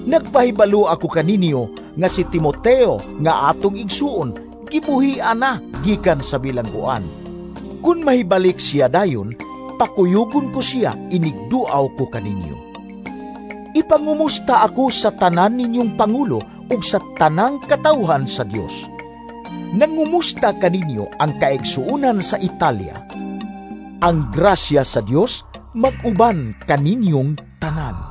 [SPEAKER 2] Nagpahibalo ako kaninyo nga si Timoteo nga atong igsuon gibuhian na gikan sa bilangguan. Kun mahibalik siya dayon, pakuyugon ko siya inigduaw ko kaninyo. Ipangumusta ako sa tanan ninyong pangulo ug sa tanang katawhan sa Dios. Nangumusta kaninyo ang kaigsuonan sa Italia. Ang grasya sa Dios mag-uban kaninyong tanan.